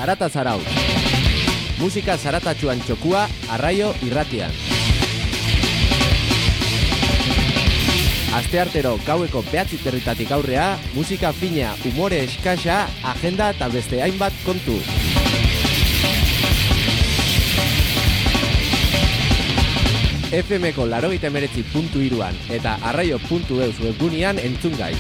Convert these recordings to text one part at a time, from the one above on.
Zarata Zarautz. Musika zaratatxuan txokua, Arraio Irratian. Asteartero gaueko 9:00 aurrea, musika fina, umore eskasa, agenda eta beste hainbat kontu. FM-ko 89.3an eta arraio.eus webgunean entzun gai.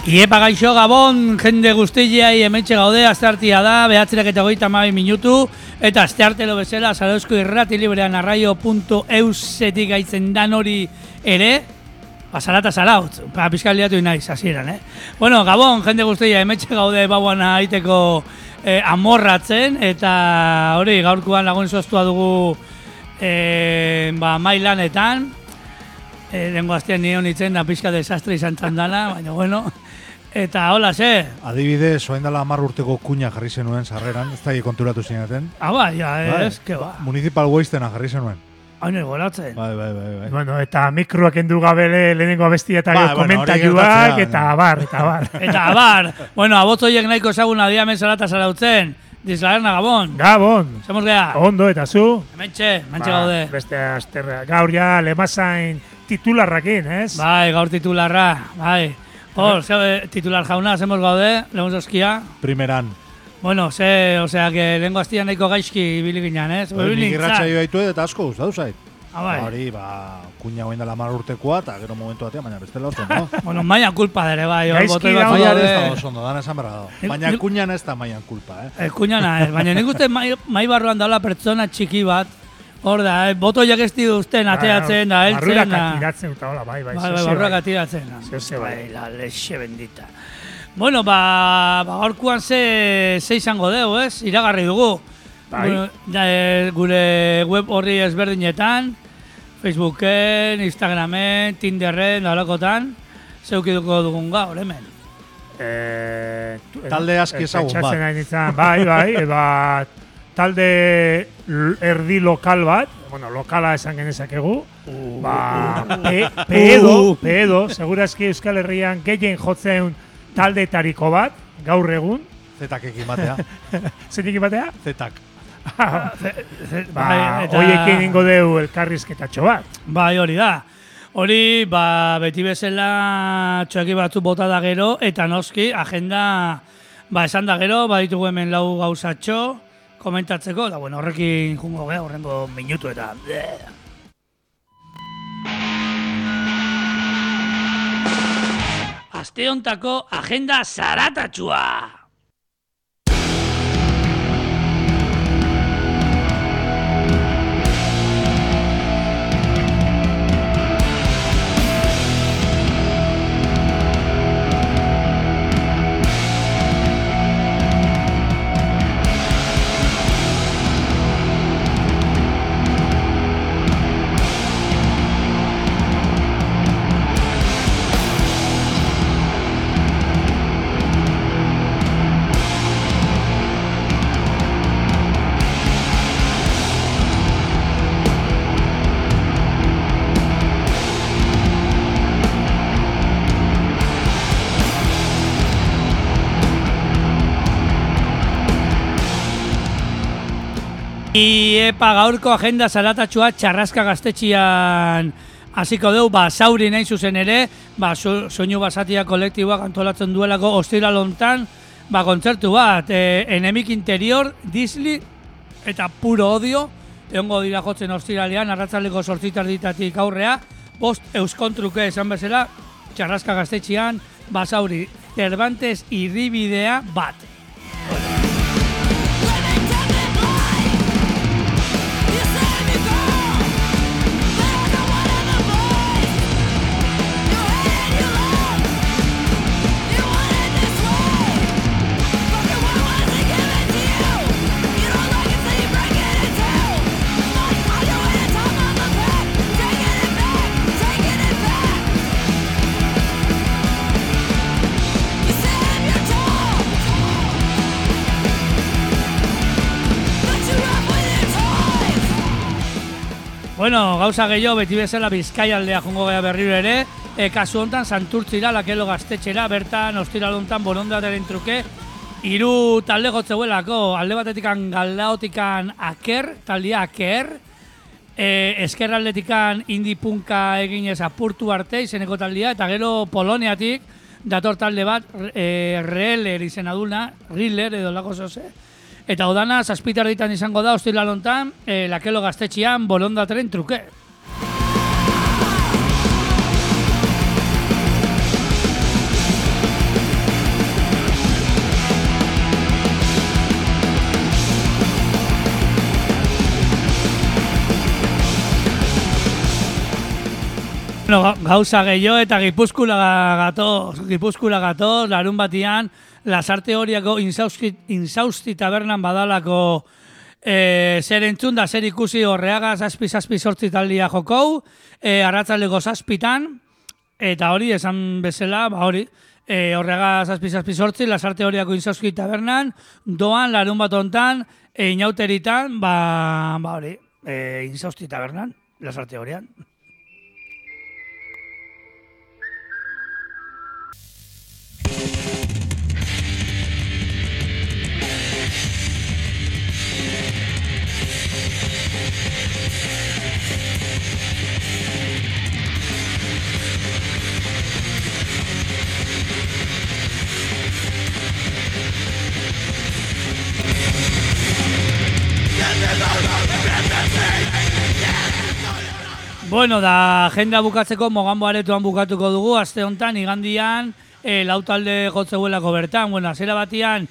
Iepa gaixo Gabon, jende guztiai hementxe gaude, asteartia da, 9:32 minutu, eta asteartelo bezala, Zarauzko irrati librean arraio.eusetik gaitzen dan hori ere, Zarata Zarautz, pizkal liatu inaiz, hasieran, Bueno, Gabon, jende guztiai hementxe gaude bauan aiteko amorratzen, eta hori gaurkoan lagun soztua dugu mailanetan, dengo astean nion itzen da pizka desastre izan txandana, baina bueno. Eta hola, ze? Adibidez, oain dela 10 urteko kuña jarri zenuen sarreran, ez da konturatu zineten. Ez, que ba. Municipal Wastena jarri zenuen. Hain goratzen. Bai. Bueno, eta mikroak endu gabele lehenengo abestia eta komentaiuak, eta abar. Eta abar. Bueno, abotzoiek nahiko ezaguna diamen Zarata Zarautzen. Dizlaerna, Gabon. Gabon. Zemos gea. Ondo, eta zu? Hementxe gaude. Beste asterra. Gaur ja, lemazain titularrakin, ez? Bai, gaur titularra, bai. Titular jauna, zemos gaude, lehun zozkia. Primeran. Bueno, osea, que lehenko aztian nahiko gaizki ibili ginen, ez? Nik irratxa joa ditu eta asko guztatu zait. Bai. Hori, kuña oain dela 10 urtekoa, eta gero momentu batean, baina bestela oso, no? Bueno, maian kulpa dere, bai. Gaizki da. Maian ez da oso ondo, dana esan berra dago. Baina kuñan ez da maian kulpa, Kuñana ez, baina nik uste mai barruan daula pertsona txiki bat, hor da, botoiak ez dituzten ateatzen da, heltzen da. Barrurak atiratzen eta hola, bai. Barrurak atiratzen. Bai, la lexe bendita. Bueno, gaurkoan ze izango dugu, ez? Iragarri dugu. Bai. Gure web horri ezberdinetan, Facebooken, Instagramen, Tinderren, dalakotan, zeukiduko dugun gaur, hemen. Talde aski ezagun bat. Bai, talde erdi lokal bat, bueno, lokala esan genezakegu, pedo, segurazki Euskal Herrian gehien jotzen taldeetariko bat, gaur egun. Zetak ekin batea. Zetik batea? Zetak. Hoiekin ingo deu elkarrizketatxo bat. Bai, hori da. Hori, beti bezala txoaki batzu bota da gero, eta noski, agenda, esan da gero, ditugu hemen 4 gauzatxo, komentatzeko, da bueno, horrekin jungo geha, horrengo minutu eta... Aste hontako agenda zaratatxua! Epa gaurko agenda zaratatxua Txarraska gaztetxian hasiko dugu, zauri nahi zuzen ere, soinu basatia kolektiboak antolatzen duelako ostiral hontan, kontzertu bat, Enemik Interior, Disli eta Puro Odio, egongo dira jotzen ostiralean, arratzaldeko 8:00 aurrea, 5 euskontruke esan bezala, Txarraska gaztetxian, zauri, Cervantes irribidea bat. Bueno, gauza gehiago beti bezala Bizkaialdea jongo gea berriro ere, kasu hontan Santurtzira, Lakelo gaztetxera, bertan ostiral hontan borondataren truke, 3 talde gotzeuelako, alde batetikan Galdaotikan Aker, taldea Aker, eskerraldetikan Indie Punka eginez apurtu arte izeneko taldea, eta gero Poloniatik dator talde bat, Reeler izena duna, Riller edo lako zoze, eta odana, 7 erditan izango da, ostiral hontan, Lakelo gaztetxean borondataren truke. Bueno, gauza gehiago eta Gipuzkoara gatoz, larun batian, Lasarte Horiako Insausti tabernan badalako zer entzun da zer ikusi Horreaga 7-8 taldia jokou, arratsaldeko 7 eta hori esan bezala, Horreaga 7-8 Lasarte Horiako Insausti tabernan, doan larun bat hontan, inauteritan, Insausti tabernan, Lasarte Horian. Bueno, da agenda bukatzeko Mogambo aretoan bukatuko dugu, aste hontan igandian lau talde jotzeuelako bertan. Bueno, hasiera batian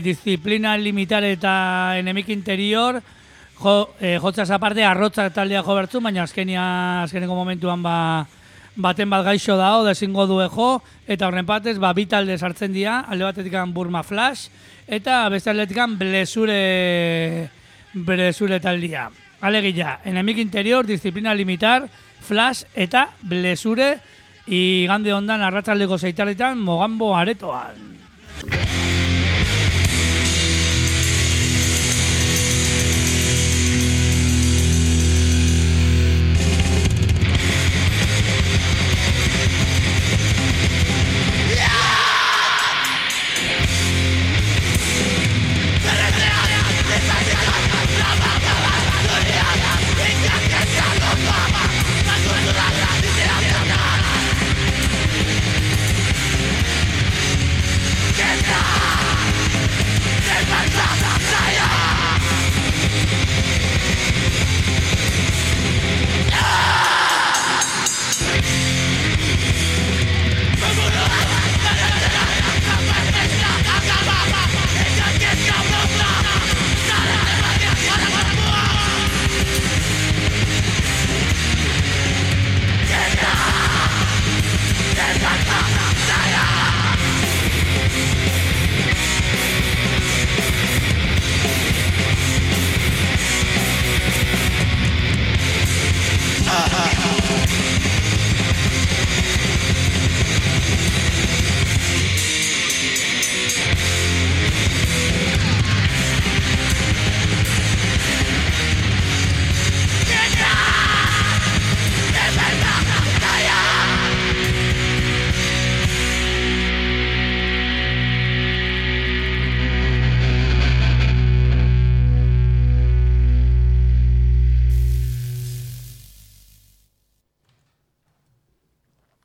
Disciplina Limitar eta Enemik Interior jotzaz aparte Arrotzak taldea jo bertzu, baina azkeneko momentuan baten bat gaixo dao, dezingo du jo, eta horren batez, 2 talde sartzen dira, alde batetikan Burma Flash, eta beste aldetikan Blesure taldea. Alegia, Enemik Interior, Disciplina Limitar, Flash eta Blesure, igande hondan arratsaldeko 6 Mogambo aretoan.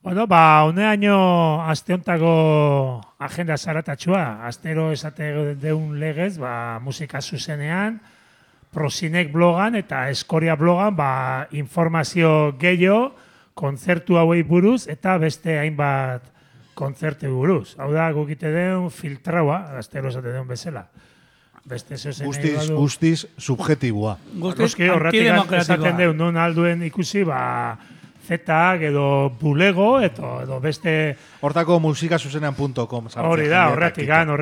Bueno, honeaino aste hontako agenda zaratatxua. Astero esate deun legez, musika zuzenean, Prosinek blogan eta Eskoria blogan, informazio gehiago, kontzertu hauei buruz eta beste hainbat kontzertu buruz. Hau da, gukite deun filtraua, astero esate deun bezala. Guztiz subjetibua. Guztiz horretik esaten deun, non alduen ikusi, zetak edo bulego edo beste... Hortako musikazuzenean.com. Hori da, horretik. .eu, no?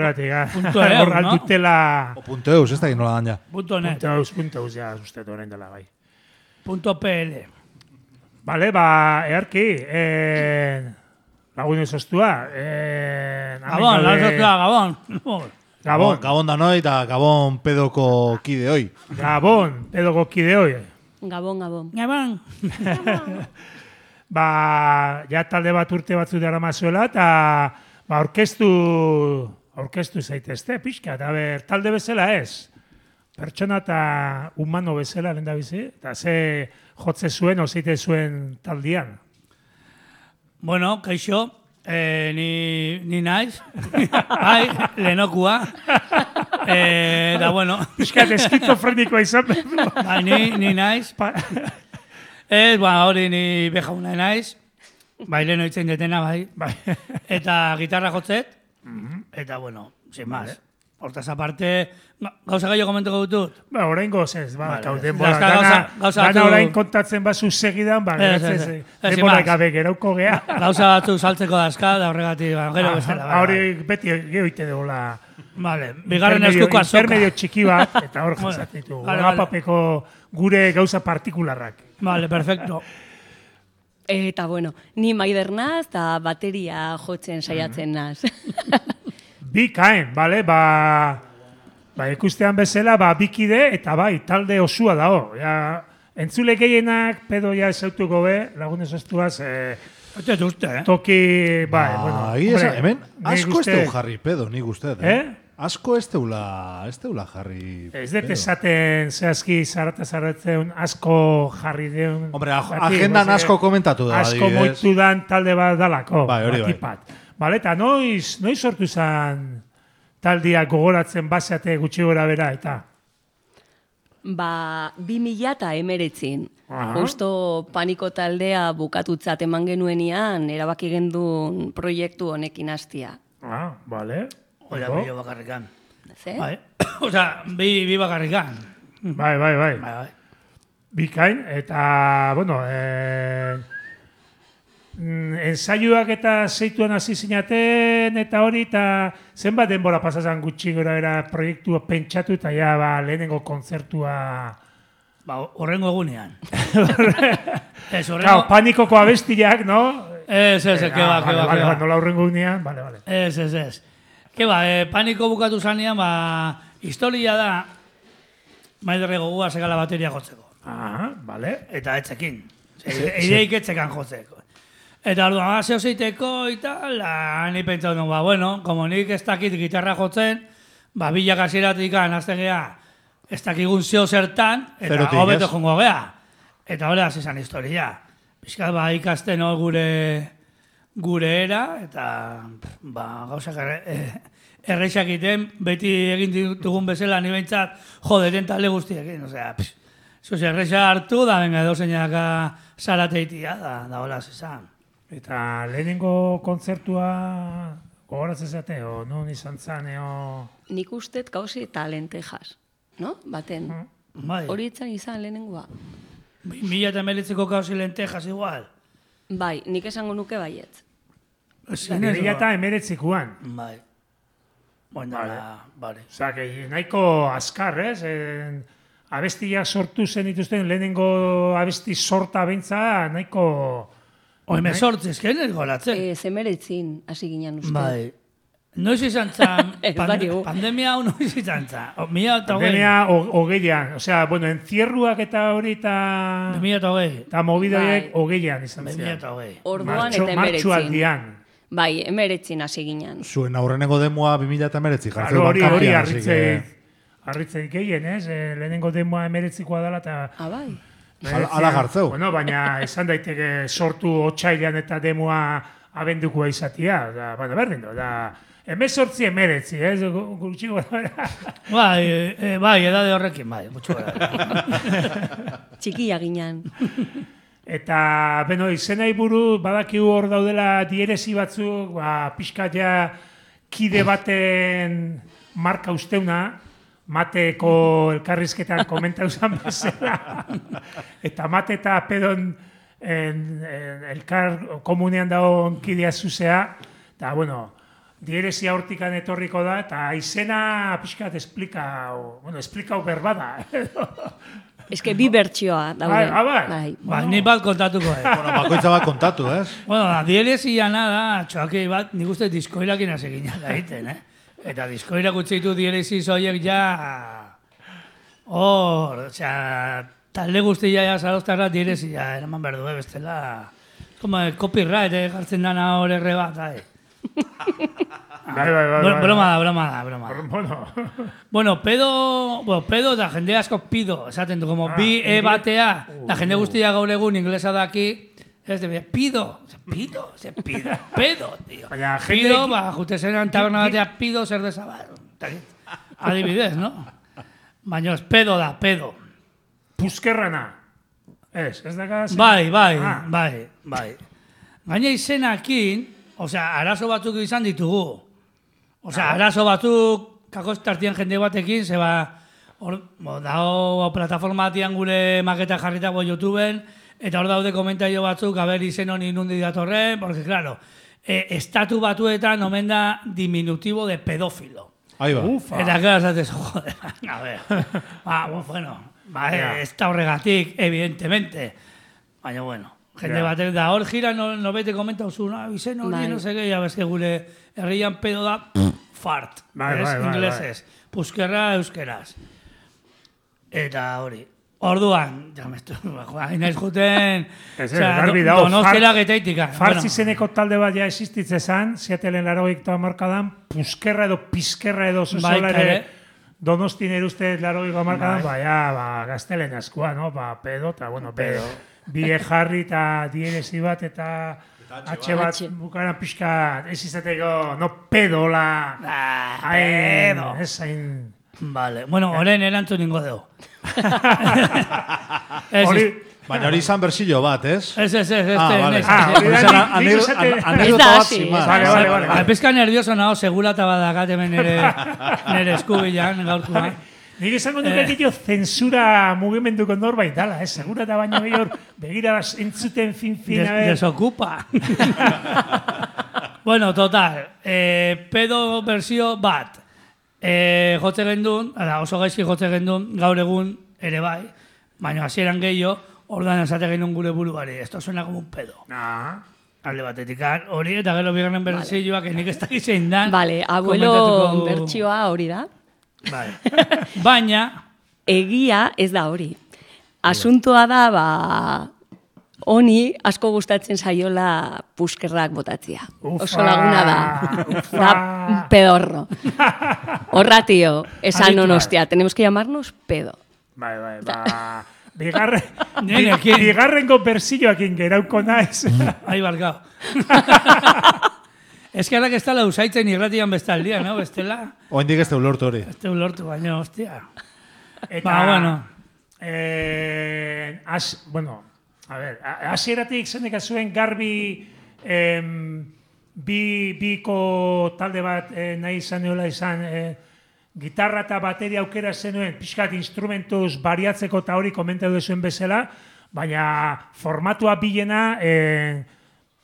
.eus, ez da gino la daña. .eus, ja, ustetu horrein dela bai. .pl. Vale, earki, lagun ezostua. Gabon. Gabon da noi eta Gabon pedoko kide hoi. Gabon pedoko kide hoi. Gabon. Gabon. Ja talde bat urte batzu dara mazuela, eta aurkeztu zaitezte, pixka, eta talde bezala ez. Pertsona eta humano bezala lehen da bizi, eta ze jotze zuen, ozeite zuen taldian. Bueno, kaixo, ni naiz, lehenokua, eta bueno. Piskat eskizofrenikoa izan behar. Bai, ni naiz. Hori ni bejauna naiz, bai leheno itzen detena, bai. Eta gitarra jotzet, eta bueno, sin más. Hortaz aparte, gauza gaio komenteko dutut? Orain gozez, gana orain kontatzen bazu segidan, denbora gabe gerauko gea. Gauza batzu saltzeko dazka, da horregatik, gero bezala. Hori beti gehoite degola. Bigarren eskuko azoka. Intermedio txiki bat, eta hor jatzatitu. Agapapeko gure gauza partikularrak. Vale, perfecto. Eta bueno, ni Maider naz, eta bateria jotzen saiatzen naz. Bikain, bale, ikustean bezala, bikide eta talde osua dago. Entzule gehienak, pedo esautuko be, lagunez ostuaz, toki, hemen, asko ez teu jarri pedo, nik uste, asko ez teula jarri pedo. Ez dut esaten zehazki zarratzen asko jarri deun. Hombre, agendan asko komentatu da. Asko moitu dan talde bat dalako. Hori. Bale, eta noiz sortu zen taldia gogoratzen baseate gutxi gora bera, eta? 2019. Justo paniko taldea bukatutzat eman genuenian, erabaki gendun proiektu honekin hastia. Bale. Oia, bi bakarrikan. Ze? Osa, bi bakarrikan. Bai. Bikain, eta, bueno, ensaioak eta zeituan hasi zinaten eta hori, eta zenbat denbora pasazan gutxi gora era proiektua pentsatu eta lehenengo kontzertua... Horrengo egunean. Panikoko abestiak, no? Ez, keba. Nola horrengo egunean, bale. Ez. Keba, paniko bukatu zanean, historia da, Maiderre gogua segala bateria jotzeko. Bale. Eta etzekin. Eideik etzekan jotzeko. Eta orduan, zeo zeiteko, eta ni pentsatu nuen, bueno, como nik ez dakit gitarra jotzen, bilak hasieratik azten geha, ez dakigun zeo zertan, eta hobeto jongo geha. Eta hori hasi zan historia. Piskat ikasten gure era, eta gauzak erreixak iten, beti egin ditugun bezala, ni behintzat, den talde guztiekin, osea, erreixa hartu, da venga, dozeinak zarateitia, da hola zezan. Eta lehenengo kontzertua gogoratzen zate, non izan zan, Nik ustet gauzi eta lentejas, no? Baten. Hori izan lehenengoa. 2019ko gauzi lentejas igual? Bai, nik esango nuke baietz. 2019koan? Bai. Bueno, bale. Osa, nahiko azkar, ez? Abestiak sortu zen dituzten lehenengo abesti sorta bentza, nahiko... Oime sortzez, ken ez goratzen? Zemeretzin, hasi ginen uste. Bai. Noiz izan zan, pandemia hau noiz izan zan. Pandemia hogeian. Osea, bueno, encierruak eta hori eta... 2008. Eta mobidoiek hogeian izan zian. 2008. Orduan eta emeretzin. Martxualdian. Bai, emeretzin hasi ginen. Zuen aurrenengo demoa 2008 jartzen hori harritzen gehien, ez? Lehenengo demoa emeretzikoa dela eta... Bai. Ala gartzeu. Bueno, baina izan daiteke sortu otsailean eta demoa abendukoa izatia. Baina berdin do, da... 18-19, ez? Gutxi gara. Bai, edade horrekin, bai. Txikia ginen. Eta, beno, izenai buru, badakigu hor daudela dieresi batzuk, pixkat ja kide baten marka usteuna, Mateko elkarrizketan komentau zan bezala. Eta Mate eta Pedon elkar komunean dago onkidea zuzea. Eta, bueno, dieresia hortikan etorriko da, eta izena pixkat esplikau berbada. Ez que bi bertsioa daude. Bai, ni bat kontatuko. Bueno, bakoitza bat kontatu, ez? Bueno, dieresia nada, txoakei bat, nik uste diskoirakin aseginak egiten, Eta diskoirak utzitu dieresi zoiek ja... osea, talde guztia ja zaroztarra direzia, eraman behar du, bestela. Como el copyright, jartzen dana horre bat, Broma da. Bueno, pedo da jende asko pido, esaten du, como bi batea, da jende guztia gaur egun inglesa daki, ez de pido, pedo, tío. Pido, jute zenan taberna batea pido zer desabar. Adibidez, no? Baina ez pedo da, pedo. Puskerrana. Ez da gara... Bai. Gaina izenakin, arazo batzuk izan ditugu. Arazo batzuk, kakostartian jende batekin, zeba, dago plataforma batian gure maketa jarritako YouTubeen, eta hor daude komentario batzuk, haber izen honi nundi datorren, porque, claro, estatu batuetan omen da diminutivo de pedófilo. Ahí va. Eta, claro, zates, joder, a ver. Ez da horregatik, evidentemente. Baina, bueno, jende batek da, hor gira, no bete komenta oso, izen hori, no sé qué, ya ves que gure herrian pedo da, fart, inglesez, puskerra euskeraz. Eta hori. Orduan, inaiz juten, donostela getaitika. Fartz izeneko talde bat ja existitze zan, Seattleen 80 markadan, puskerra edo pizkerra edo zozola ere, Donostin eruzte 80 markadan, gaztelen askua, no? Pedo, eta, bueno, pedo. Bie jarri eta dierezi bat eta H bat bukaran pixka ez izateko, no pedola. Pedo. Ez hain... Vale, bueno, horren erantzun ningo dugu. Baina hori izan bersillo bat, ez? Ez. Anekdota bat zimaz. Vale. Pezka nervioso nago, segurata badakat hemen nire eskubilan, gaurkoa. Nik esango nuke egitio zensura mugimenduko norbait dala, segurata baino gehior begira entzuten fin. Desokupa. Bueno, total, pedo versio bat. Jotze gendun, oso gaizki jotze gendun, gaur egun ere bai, baina hasieran gehiago, ordan esate gendun gure buruari, esto suena como un pedo. Alde batetik, hori eta gero bigarren bertsioak nik ez dakiz zein dan. Vale, abuelo bertsioa hori da. Baina... Egia ez da hori. Asuntoa da, honi asko gustatzen saiola puskerrak botatzia. Oso laguna da. Da pedorro. Horra, tío, esan honostia, tenemos que llamarnos pedo. Bigarrengo bersilloakin gerauko naiz. Ai, barkao. Ez que ez dala usaitzen irratian bestaldia, no? Bestela... Oendik ez teulortu hori. Ez teulortu, baina, hostia. Eta... Bueno... A ver, hasieratik zenek zuen garbi biko talde bat nahi izan gitarra eta bateria aukera zenuen, pixkat instrumentuz bariatzeko eta hori komentatu zuen bezala, baina formatua bilena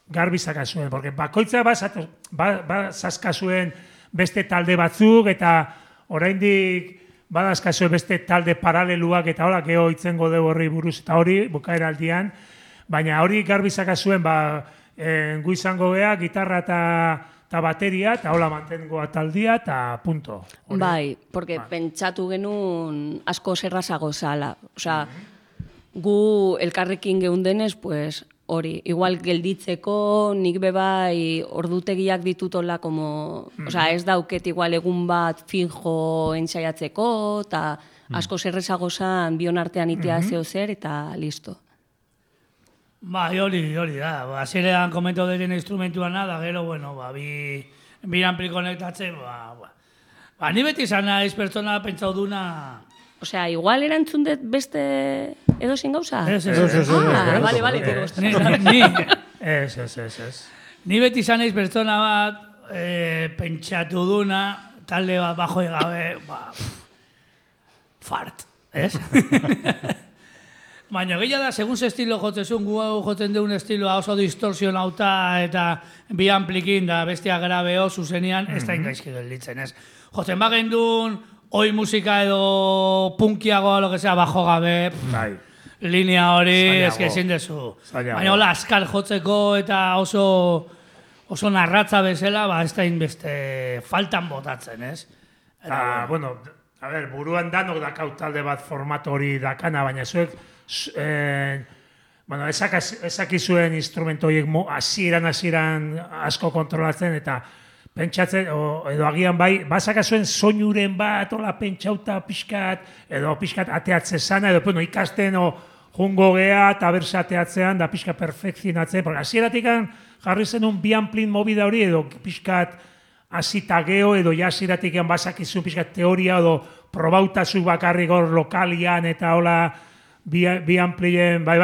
garbi zaka zuen, porque bakoitza bazazka zuen beste talde batzuk eta oraindik badazkazue beste talde paraleluak eta hola, geho itzengo dugu horri buruz eta hori, bukaera aldian, baina hori garbizaka zuen, gu izango geha, gitarra eta bateria, eta hola mantengoa taldia, eta punto. Bai, porque pentsatu genuen asko zerrazago zala. Osea, gu elkarrekin geundenez, pues, hori, igual gelditzeko, nik bebai ordutegiak ditutola, como, ez dauket igual egun bat finjo ensaiatzeko, eta asko zerrezago zan bion artean itea zeo zer, eta listo. Bai, hori da. Azirean komento deten instrumentuan da, gero, bueno, bi ampli konektatze, ni beti izan naiz pertsona pentsau duna... Osea, igual erantzun dut beste edozein gauza? Ez. Bale, tiko. Ez. Ni beti izan naiz pertsona bat pentsatu duna, talde bat bajo egabe, fart, ez? Baina gehiago da, segun ze estilo jotzezun, gu jotzen deun estiloa oso distorsionauta eta bi amplikin da bestia grabeo zuzenian, ez da ingaizki gelditzen, ez? Jotzen bagendun, oi musika edo punkiagoa, lo que sea, bajo gabe, linea hori, eske ezin dezu. Baina hola, askar jotzeko eta oso narratza bezala, ez da inbeste faltan botatzen, ez? Bueno, a ver, buruan danok dakau talde bat formato hori dakana, baina bueno, ezakizuen instrumento horiek hasieran asko kontrolatzen, eta pentsatzen, edo agian bai, bazakazuen soinuren bat, ola pentsauta pixkat, edo pixkat ateatze zana, edo ikasten, jungo gea, eta berse ateatzean, da pixkat perfekzionatzen, porque hasieratik jarri zenun bi amplin mobida hori, edo pixkat hasita geo, edo hasieratik bazakizun pixkat teoria, edo probautazu bakarrik hor lokalian, eta hola, bi amplien, bai,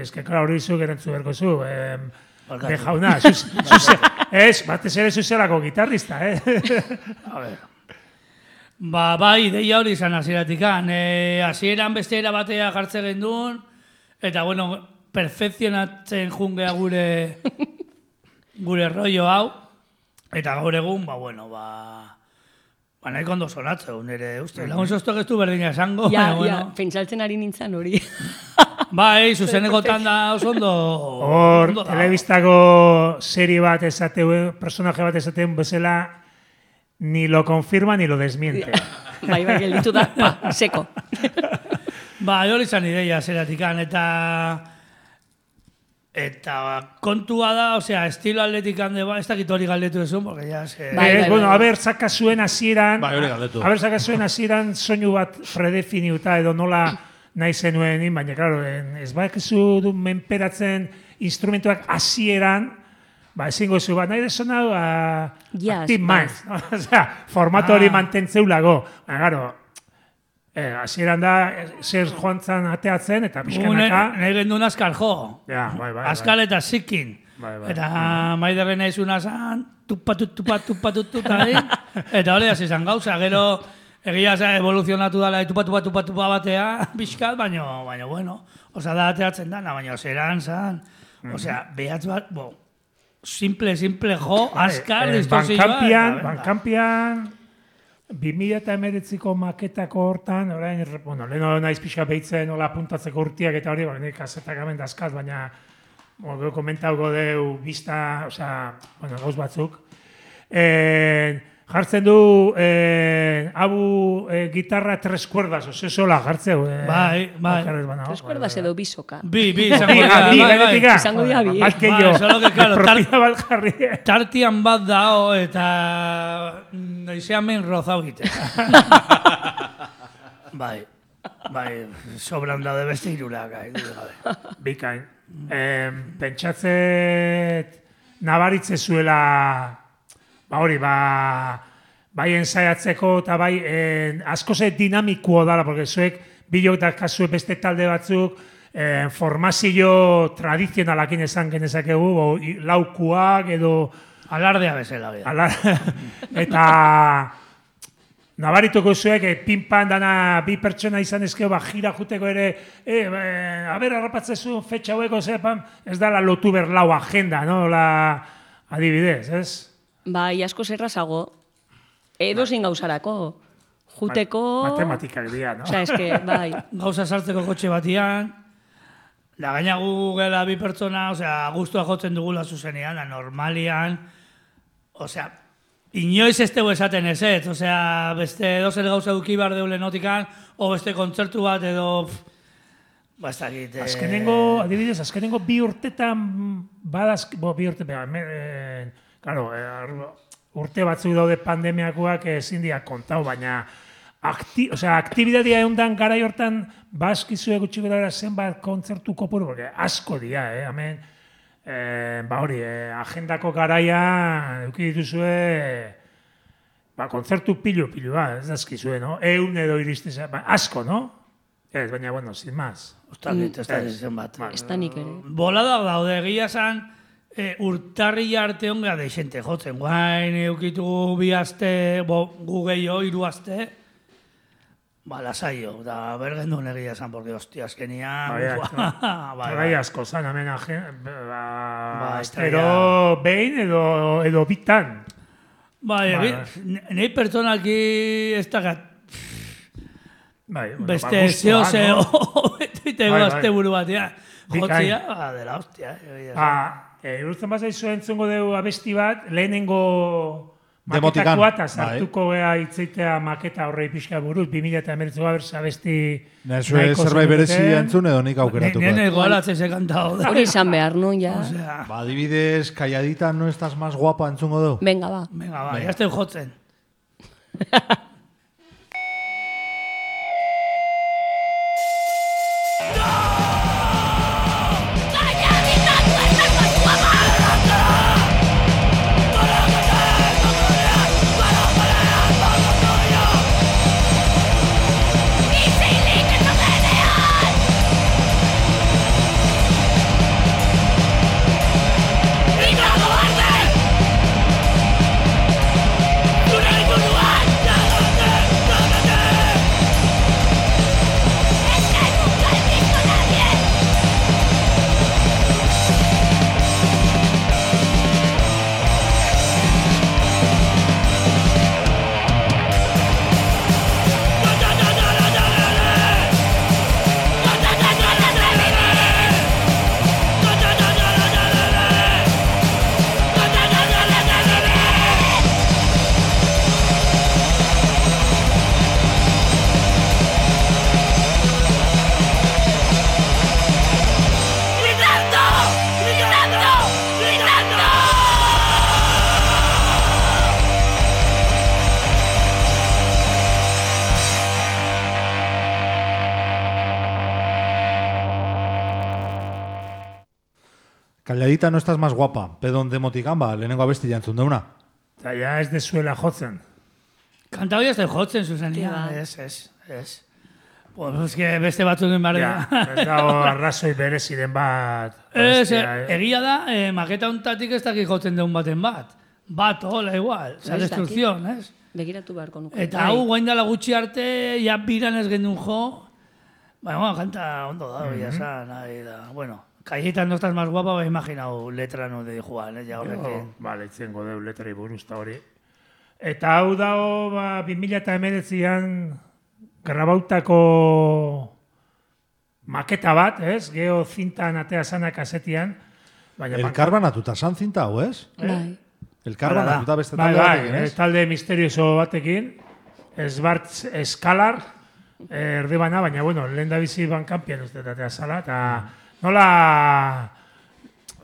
eske, klar, hori zuk erantzu berko zu, bejauna, batez ere zuzelako gitarrista, A ver. Bai, ideia hori izan hasieratikan. Hasieran beste era batea jartzen gendun, eta, bueno, perfekzionatzen jungea gure rollo hau, eta gaur egun, nahiko ondo sonatzen, nire uste. Lagun soztok ez du berdina esango. Ja, pentsaltzen ari nintzen hori. Bai, zuzenekotan da oso ondo. Hor, telebistako serie bat esateuen, personaje bat esateuen bezala, ni lo confirma ni lo desmiente. Bai, gelditu da, seko. Hori izan ideia zeratikan, eta kontua da, osea, estilo atletikan de ez dakit hori galdetu ezun, porque ya se... Bueno, haber sakazuen hasieran, soinu bat predefiniuta edo nola nahi zenuen, baina, klaro, ez bakizu du menperatzen instrumentuak hasieran, ezingo zu, nahi desona Active Minds. Osea, formato hori mantentzeulago. Klaro, hasieran da, zer joantzan ateatzen, eta pixkanaka... Nahi gendun askal jo. Askal eta zikin. Eta maiderren nahi zuna zan, tupa, eta hori hasi zan gauza, gero... Egia evoluzionatu dala, tupa batea, pixkat, baina, bueno, oza, da ateatzen dana, baina zeran zan, osea, behatz bat, simple jo, askar, Bankampian, 2019ko maketako hortan, orain, leheno naiz pixka behitzen, hola puntatzeko urtiak eta hori, kasetak hemen dazkat, baina, komentauko deu, bizta, osea, gauz batzuk, jartzen du gitarra tres cuerdas, sola jartzeu. Bai. Tres cuerdas edo bisoka. Bi, izango dira bi. Solo que, claro, tartian bat dao eta noizean men rozau gite. Bai, sobran daude beste irurak. Bikain. Pentsatzet nabaritze zuela... bai ensaiatzeko eta bai asko ze dinamikoa dala, porque zuek bilok da kasue beste talde batzuk formazio tradizionalakin esan genezakegu, laukuak edo... Alardea bezala. Eta nabarituko zuek, pinpan dana bi pertsona izan ezkeo, jira juteko ere, harrapatzezu fetxa hueko, ez dala lotu berlau agenda, no? Adibidez, ez? Bai, asko zerrazago. Edo zin gauzarako. Juteko... Matematikak dira, no? Osa, eske, bai. Gauza sartzeko kotxe batian, da gaina gu gela bi pertsona, osea, guztua jotzen dugula zuzenean, da normalian, osea, inoiz ez dugu esaten ezet, osea, beste dozer gauza duki bar deule notikan, o beste kontzertu bat edo... Bastakit... Adibidez, azkenengo bi urtetan bi urtetan, claro, urte batzuk daude pandemiakoak ezin dira kontau, baina aktibidadia eundan garai hortan bazkizue gutxiko dara zenbat kontzertu kopuru, porque asko dira, hemen, agendako garaia eduki dituzue, kontzertu pilu, ez dazkizue, no? Eun edo iristez, asko, no? Ez, baina, bueno, sin más. Ostakit, ez da zenbat. Ez da nik ere. Bolada daude, egia zan, urtarri arte ongea deixente jotzen, guain eukitu bi aste, gu gehiago, 3 aste, lasaio, da bergen duen egia esan, porque hostia, azkenian... Bai, asko zan, hemen astero behin edo bitan. Bai, nahi pertsonalki ez da beste zeo, eta azte buru batean. Jotzia, dela hostia. Irutzen bazaizu entzungo dugu abesti bat, lehenengo maketakoa eta sartuko gea itzeitea maketa horrei pixka buruz, 2019 berza besti nahiko zerbait berezi entzun edo nik aukeratuko. Nene golatzen se kantao. Hori izan behar, no, ya. Ba, adibidez, Calladita no estás más guapa entzungo du. Venga, ba. Venga, ba, ya estoy jotzen. Calladita no estás más guapa, pedon de Motikamba, lehenengo abesti jantzun deuna. Eta ja ez dezuela jotzen. Kantau ya estoy jotzen, Susania. Ez. Pues que beste batzu den barri. Ez dago arrazoi bereziren bat. Egia da, maketa untatik ez dakik jotzen deun baten bat. Bat, hola, igual. Esa destrucción, ez? Begiratu beharko nuke. Eta hau guaindala gutxi arte, ja biran ez gendun jo. Bueno, kanta ondo da, ya sa, nahi da. Bueno. Calladita no estás más guapa, ba imaginau letra no de Juan, ja horrekin. Bale, itzengo deu letrai buruzta hori. Eta hau dago, 2019an grabautako maketa bat, ez? Geo zintan atea sana kasetian. Elkarbanatuta san zinta hau, ez? Bai. Elkarbanatuta beste talde batekin, ez? Talde misterioso batekin, Esbartz Eskalar, erdibana, baina, bueno, lehen da bizi bankampian uste atea zala, eta nola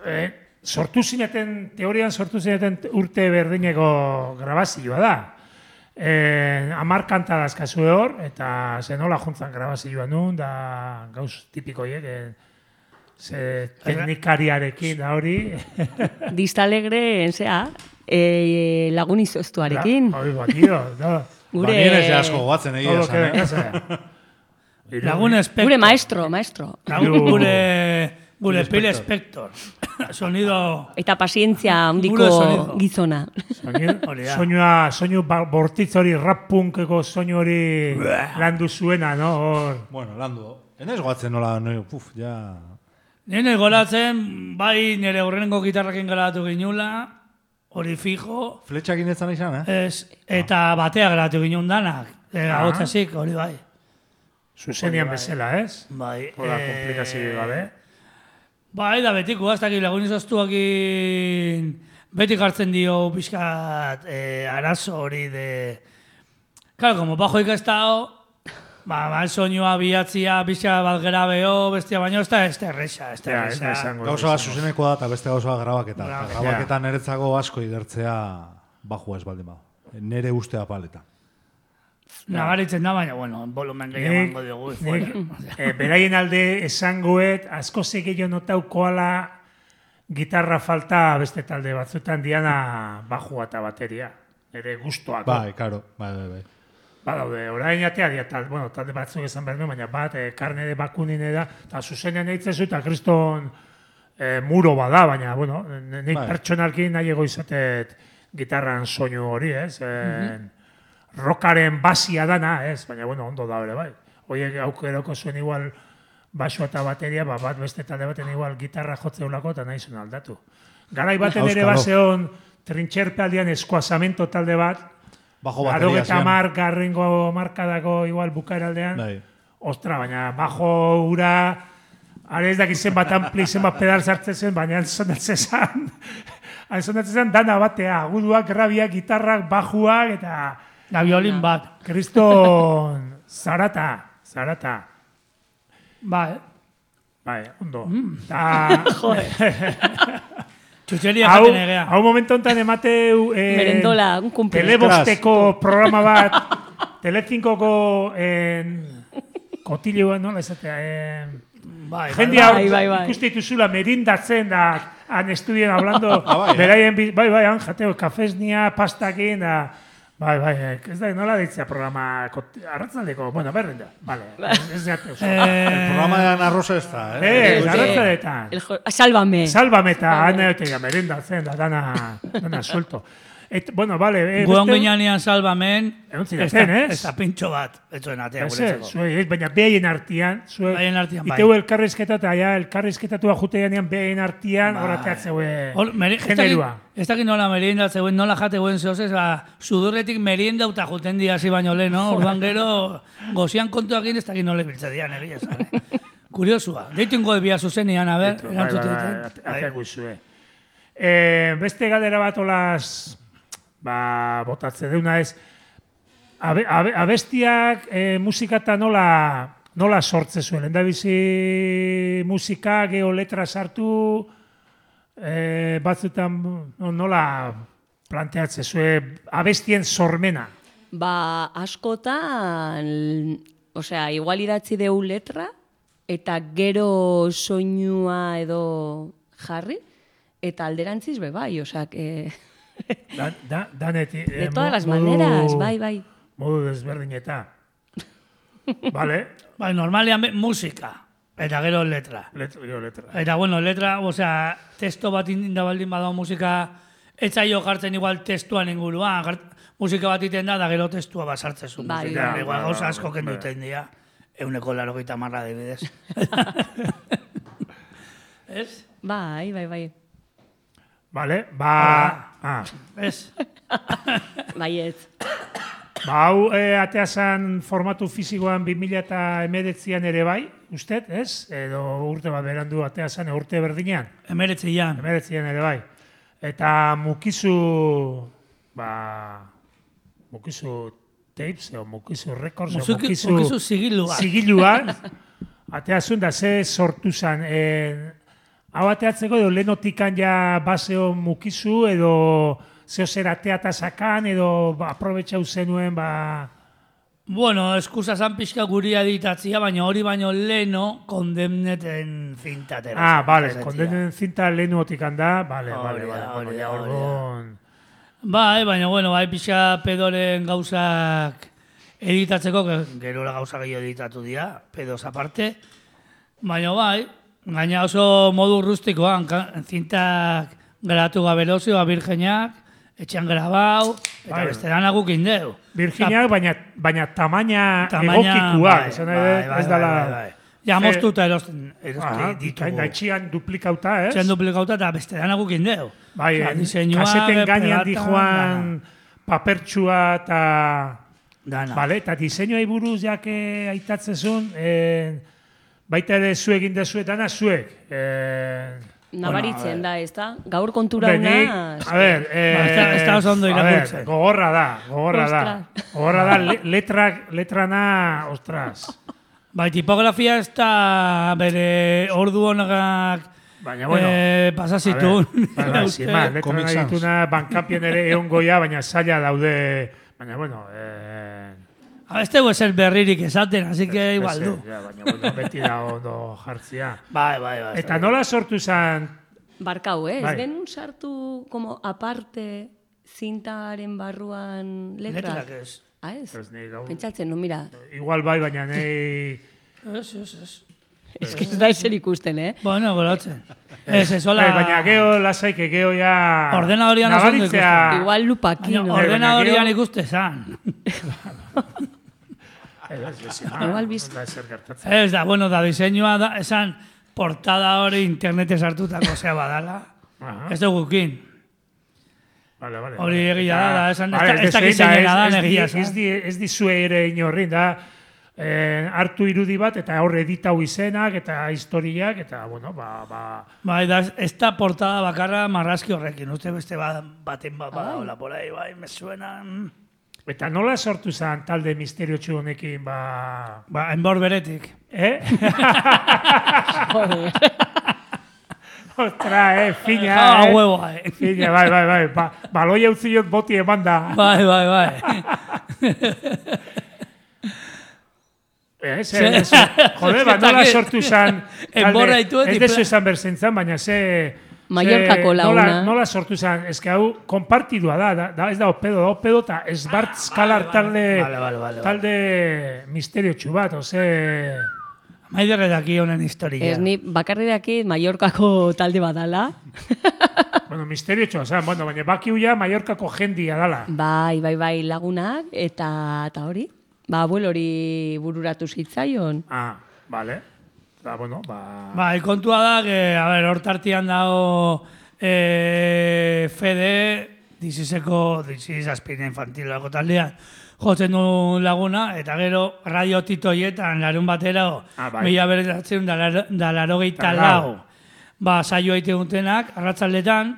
teorian sortu zineten urte berdineko grabazioa da. 10 kanta dazkazue hor, eta ze nola juntzan grabazioa nun, da gauz tipikoiek, ze teknikariarekin da hori. Distalegre, lagun izoztuarekin. Hori batio, da. Gure... Banien asko goatzen egia esan, Lagun Spector. Gure maestro. Gure Pile Spector. Sonido... Eta pazientzia handiko gizona. Soinu bortitz hori rap-punkeko soinu hori landu zuena, no? Bueno, landu. Enez goatzen nola, ja... Nene golatzen, bai nire horrengo gitarrakin galatu ginula, hori fijo. Fletxakin ez zan izan, Eta batea galatu ginun danak. Agotzazik, hori bai. Zuzenian bezala, ez? Bai. Hola, komplikazio gabe. Bai, da betiko, hasta aquí lagun izoztuakin beti hartzen dio pixkat arazo hori de... Claro, como bajo ikastao, soinua bihatzia, pixka bat grabeo, bestia baino, ez da erresa. Gauza bat zuzeneko da, eta beste gauza bat grabaketa. Grabaketan eretzago asko idertzea bajua ez baldin bau. Nere ustea paleta. Nabaritzen da, baina, bueno, volumen gehiago dugu. Beraien alde esangoet, asko zegillo notaukoala gitarra falta beste talde batzutan diana bajua eta bateria. Ere guztuako. Bai, karo, bai. Badaude, orain atea dia, talde batzuk esan behar du, baina bat, karne de bakunine da, eta zuzenean eitzezu eta kriston muro bada, baina, bueno, nik pertsonalki nahi ego izatet gitarran soinu hori, ez? Rockaren basia dana, ez? Baina, bueno, ondo da hori, bai. Oiek aukeroko zuen igual baso eta bateria, bat beste talde baten igual gitarra jotzeulako eta nahi zuen aldatu. Garai baten ere baseon trintxerpealdian eskuazamento talde bat, Garo eta garrengo markadako igual bukaeraldean. Ostra, baina bajo ura, are ez dakizen bat ampli zen bat pedal sartzen zen, baina sonatzen zen Sonatzen zen dana batea, aguduak, grabiak, gitarrak, bajuak, eta... Da violin bat. Kriston zarata. Bai. Bai, ondo. Txutxeria jaten egea. Hau momentu enten emateu... Merendola, un cumple. Telebosteko programa bat, Telecinkoko kotileoan, nola esatea, jendia ikuste dituzula merindatzen da, han estudien hablando, beraien, han jateo, kafesnia, pastakin, da, ez da, nola ditzea programa, arratzaldeko, bueno, berren da, vale, ez jateo. El programa de Ana Rosa ez da, arratzaldetan. Sálvame. Sálvame eta, merindatzen da, dana suelto. Bueno, vale. Guon ginean salvamen, ez da pintxo bat, etzuen atea guretzeko. Baina behaien artian, iteu elkarrizketa eta elkarrizketatua jutean behaien artian, horateatzeue generua. Ez dakit nola merienda zeuen, nola jateuen zehozez, sudurretik merienda uta juten diazi baino lehen, no? Orduan gero, gozian kontuak ez dakit nola biltze dian, egia zan. Kuriosua. Deitu ingo ebia zuzenian, a ber, erantzute diten. Ateak guzue. Beste galdera bat olaz... botatze deuna ez, abestiak musikata nola sortze zuen, endabizi musika, geho letra sartu, batzutan nola planteatze zuen abestien sormena? Askotan, osea, igual idatzi deu letra, eta gero soinua edo jarri, eta alderantziz bai, osea, de todas las maneras, bai. Modu desberdineta. Vale. Bai, normalian musika, eta gero letra. Letra. Eta, bueno, letra, osea, testo bat inda baldin badao musika, etzaio jartzen igual testuan inguruan, musika bat iten da gero testua basartzen zuen. Bai. Igual gauza asko kenduten dira, 180 dibidez. Ez? Bai. Vale, Ez? Baiet. Hau ateazan formatu fizikoan 2019an ere bai, usted, ez? Edo urte bat berandu ateazan, urte berdinean? 19an ere bai. Eta mukizu tapes, o mukizu records, o mukizu zigilua. Zigilua, ateazun da ze sortu zan, hau ateatzeko edo lehenotikan ja baseo mukizu edo zeo zer ateata sakan edo aprobetxau zenuen Bueno, eskusa zan pixka guri editatzia, baina hori baino leheno kondemneten zintatera. Vale, kondemneten zinta lehenotikan da, vale. Bai, baina bueno, bai pixka pedoren gauzak editatzeko, gero la gauza gehiago editatu dira, pedoz aparte, baina bai, gaina oso modu rustikoan, zintak grabatu gaberozioa virgeniak, etxean grabau, eta beste dana gukin deu. Virginiak, baina tamaina egokikua. Ez dala... Ja, moztuta erosten ditugu. Etxean duplikauta, ez? Etxean duplikauta eta beste dana gukin deu. Bai, kaseten gainean dijoan papertxua eta... Vale, eta diseinua buruz jake aitatzezun, baita ere zuek indezuet, dana zuek. Nabaritzen da, ez da? Gaur kontura una... A ver, ez da oso ondo irakurtzen. Gogorra da. Letrana, ostras. Bai, tipografia ez da bere ordu honagak pasazitun. Letrana dituna bankapien ere egon goia, baina zaila daude. Baina, bueno... Ez dugu eser berririk esaten, así que igual du. Baina, beti da ondo jartzia. Bai. Eta nola sortu zan... Barkau, ez genuen sartu como aparte zintaren barruan letra? Letrak ez. Ez? Pentsatzen, no, mira. Igual bai, baina nahi... Ez. Ez que ez da eser ikusten, Bueno, golotzen. Ez, hola... Baina geho lasaike, geho ya... Ordenadorian oso ondo ikusten. Igual lupakino. Ordenadorian ikuste zan. Igual bizto. Ez da, bueno, da diseinua da, esan portada hori internete sartutako zea badala. Ez dugu gukin. Hori egia da, esan ez dakiz egin da, egia zan. Ez dizue ere inorrin, da, hartu irudi bat, eta hor editau izenak, eta historiak, eta, bueno, Bai, ez da portada bakarra marrazki horrekin, uste beste baten hola, por ahí, bai, me suena... Eta nola sortu zen talde misteriotsu honekin, enbor beretik. Joder. Ostra, fina, huevoa, Fina, bai. Baloia utziot boti eman da. Bai. Joder, nola sortu zen enborra itu ez dezu esan berzentzan, baina Mallorcako launa. Nola sortu zen, ez que hau konpartidua da, ez da opedo eta Esbart Skalar talde misteriotsu bat, Maiderre daki honen historia. Ez ni bakarri daki Mallorcako talde badala. Bueno, misteriotsu, baina bakiuia Mallorcako jendia dala. Bai, lagunak, eta hori. Abuelo hori bururatu zitzaion. Vale. Bai, kontua da, hor tartian dago Fede, dizizazpina infantilako taldean, jotzen du laguna, eta gero radio titoietan larun batera, mila beratzen da larogeita lau. Saio haite guntenak, arratzaldetan,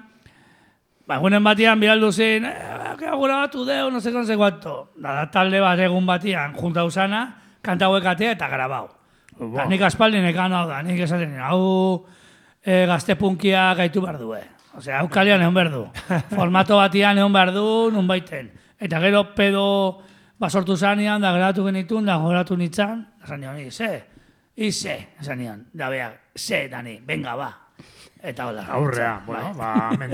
egunen batian biraldu zen, agora batu deu, no sé cuánto. Da talde bat egun batian, junta usana, kanta huekatea eta grabau. Nik aspaldin ekan hau da, nik esaten, hau gaztepunkia gaitu behar du, Osea, hau kalian egon behar du. Formato batian egon behar du, nun baiten. Eta gero pedo basortu zanean, da grabatu genitun, da goratu nintzen, esan nion, ize, esan nion, da behar, dani, venga, ba. Eta hola. Aurrea, hemen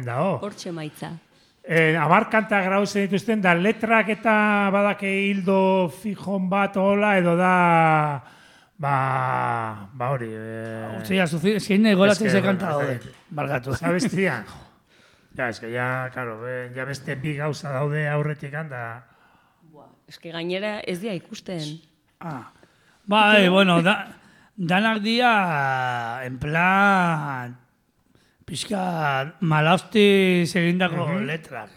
dao. Hortxe maitza. 10 kanta grauzen dituzten, da letrak eta badake hildo fijon bat hola, edo da... hori... Hostia, zein egolatzen ze kanta daude. Bargatu. Zabestian? Ez que ya beste bi gauza daude aurretik handa. Ez que gainera ez dia ikusten. Bai, bueno, danak dia, en plan... Pixka malausti egindako letrak.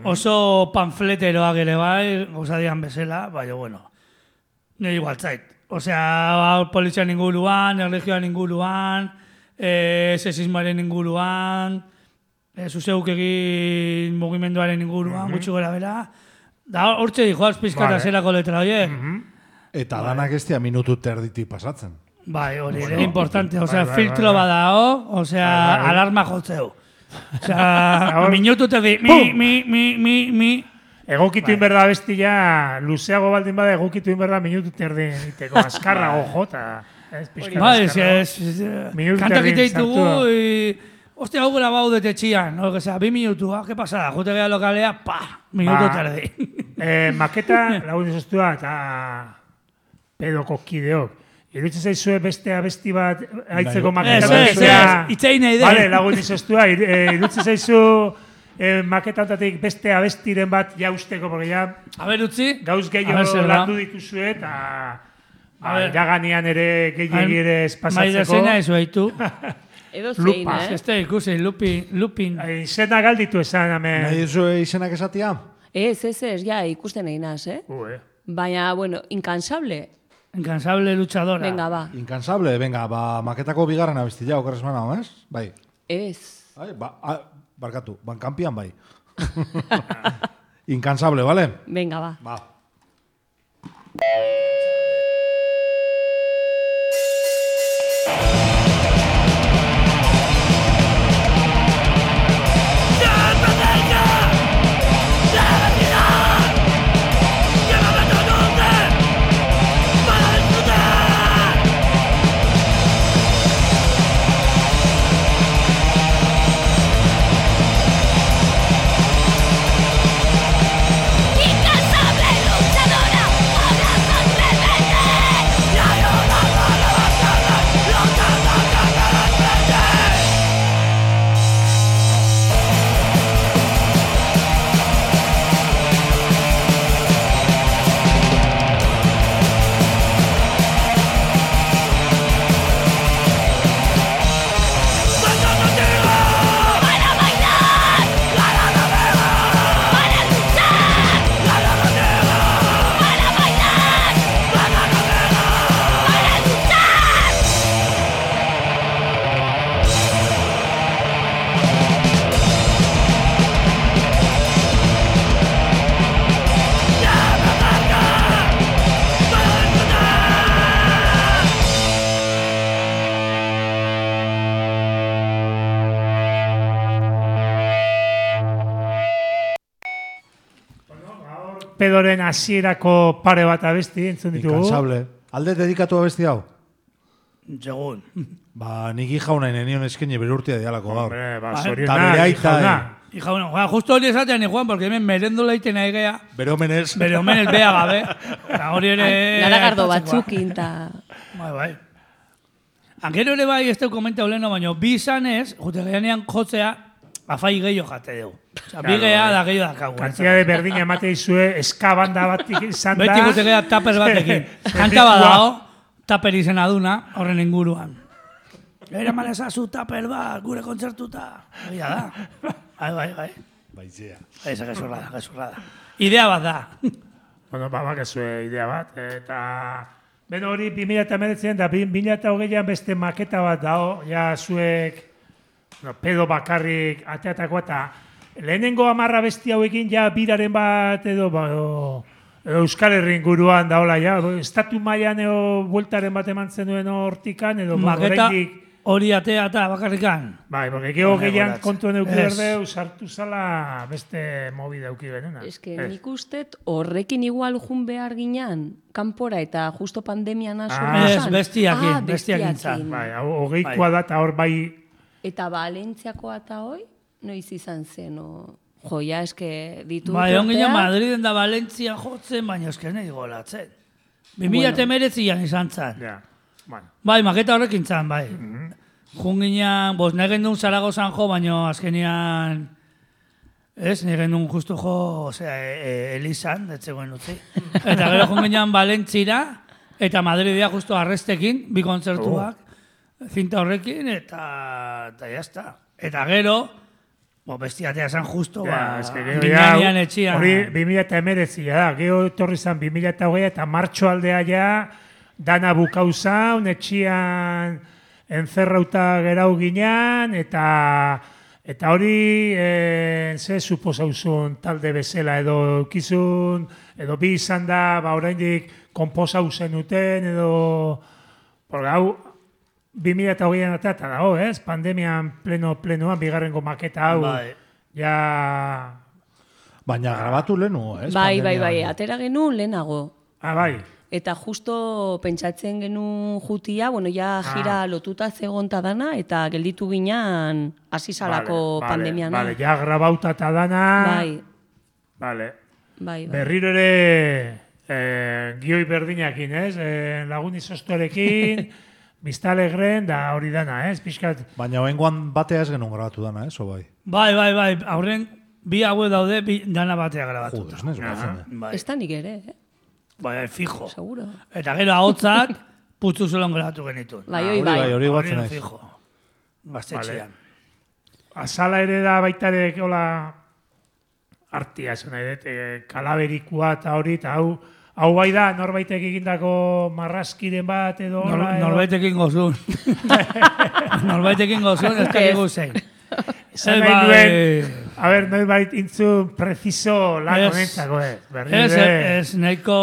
Oso panfleteroak ere bai, gozadian bezala, baina, bueno, nire igual zait. Osea, polizian inguruan, erlegioan inguruan, sexismoaren inguruan, zuzeuk egin mugimenduaren inguruan, gutxi gora bera. Da, hortxe dijoaz pixka eta zelako letra, oie? Eta danak ez dia minutu terditik pasatzen. Bai, hori, ere importante, osea, filtro badao, osea, alarma jotzeu. Osea, minutu terdi, mi. Egokitu inberda bestia, luzeago baldin bada egokitu inberda minutu terdi niteko, azkarra jota. Bai, kantakite ditugu, hostia, hau grabau detetxian, osea, 2 minutu, ¿qué pasada? Jote geha lokalea, minutu terdi. Maketa, lagun izostua, eta pedoko kideok. Iruditzen zaizue beste abesti bat haitzeko maketa. Itzein nahi de. Vale, lagun izostua, iruditzen zaizu maketatatik beste abestiren bat jausteko, porque ya... A ver, utzi. Gauz gehiago landu dituzue, eta iraganean ere gehiagi ere espasatzeko. Maida zena ez haitu. Edo zein, Este ikusi, lupin. Izena galditu esan, hemen. Nahi duzu izenak esatia? Ez, ja, ikusten egin naz, Baina, bueno, incansable. Incansable luchadora. Venga, ba. Incansable, venga, maketako bigarren abestia, okerrez manao, ez? Bai. Ez. Barkatu, bankampian bai. Incansable, vale? Venga, ba. Ba. Incansable luchadora, habla pedoren hasierako pare bat abesti entzun ditugu. Incansable. Alde dedikatu abesti hau? Segun. Ba, nik ijauna nenion eskeni bere urtea dialako gaur. Hombre, ba, Ta zorionak, bere aita, jauna. Hija, bueno, justo hori esatean, Juan, porque hemen merendo leiten aigea, Bere omenez. bere omenez bea gabe. Eta hori ere... Garagardo aipatzekoa. batzukin, eta... Bai. Angero ere bai, ez teu komentau leheno, baina bi izanez, jute gehianean jotzea, afai gehiago jate dugu. Osa, bi gehiago da gehiago dakagu. Kantiade berdina emate dizue, eskabanda bat izan da. Beti jute gehiago taper batekin. Kanta badago, taper izena duna, horren inguruan. Eraman ezazu taper bat, gure kontzertuta. Egia da. Bai. Baizea. Eza, gezurrada. Idea bat da. Bueno, bakezue idea bat. Eta... Beno hori 2019 da 2020an beste maketa bat dao, ja zuek pedo bakarrik ateatako eta lehenengo 10 besti hauekin ja biraren bat edo Euskal Herri inguruan daola ja, estatu mailan edo bueltaren bat eman zenuen hortikan edo Maketa oraindik hori atea eta bakarrikan. bai, porque gero gehian goratze. kontuen euki Ez. berdeu, sartu zala beste movida euki benena. Eske, nik ustet horrekin igual jun behar ginean, kanpora eta justo pandemian Ez, bestiakin, bestiakin zan. Bai, hogeikoa da eta hor bai... Eta Valentziakoa eta hoi, noiz izan zen, joia eske ditu Bai, on ginen urtea. Madriden da Valentzia jotzen, baina eske nahi golatzen. 2019an izan zan. Ja, bueno. Bai, maketa horrekin zan, bai. Jun ginean, nahi gendun Zaragozan jo, baina azkenian... Ez, nahi gendun justu jo, osea, Elizan, detzegoen utzi. Eta gero jun ginean Valentzira, eta Madridea justu arrestekin, bi kontzertuak, zinta horrekin, eta jazta. Eta gero, bestiatea zan justo, Miñanian etxian. Hori 2019 da, gero etorri zan 2020 eta martxo aldea ja, dana bukau zaun, etxian enzerrauta gerau ginean, eta hori ze suposauzun talde bezala, edo eukizun, edo bi izan da, oraindik konposau zenuten, edo, porque hau, 2020an eta dago, ez? Pandemian plenoan, bigarrengo maketa hau, Bai. ja... Baina grabatu lehenu, ez? Bai, Pandemia. atera genuen lehenago. bai. Eta justo pentsatzen genuen jutia, ja jira lotuta zegonta dana, eta gelditu ginean hasi salako pandemian. Vale, ja grabauta eta dana. Bai, Vale. bai. Berriro ere gioi berdinakin, ez? Lagun izostorekin, Biztalegren, da hori dana, ez? Pixkat, Baina oengoan batea ez genuen grabatu dana, ez? O bai? Bai, aurren bi haue daude, dana batea grabatuta. Joder, ez Bai, Ez da nik ere, bai, fijo. seguro. Eta gero ahotzak, putzu zelon grabatu genituen. Bai, bai. Hori guatzen naiz. Fijo. Gaztetxean. azala ere da baita ere, hola, artia, esan nahi dut, kalaberikua eta hori, eta hau bai da, norbaitek egindako marrazkiren bat edo... hola, edo- Norbaitekin gozun. Norbaitekin gozun, ez dakigu zein. Esan nahi duen, a ber, norbait intzun preciso lan Ez. honentzako, Ez nahiko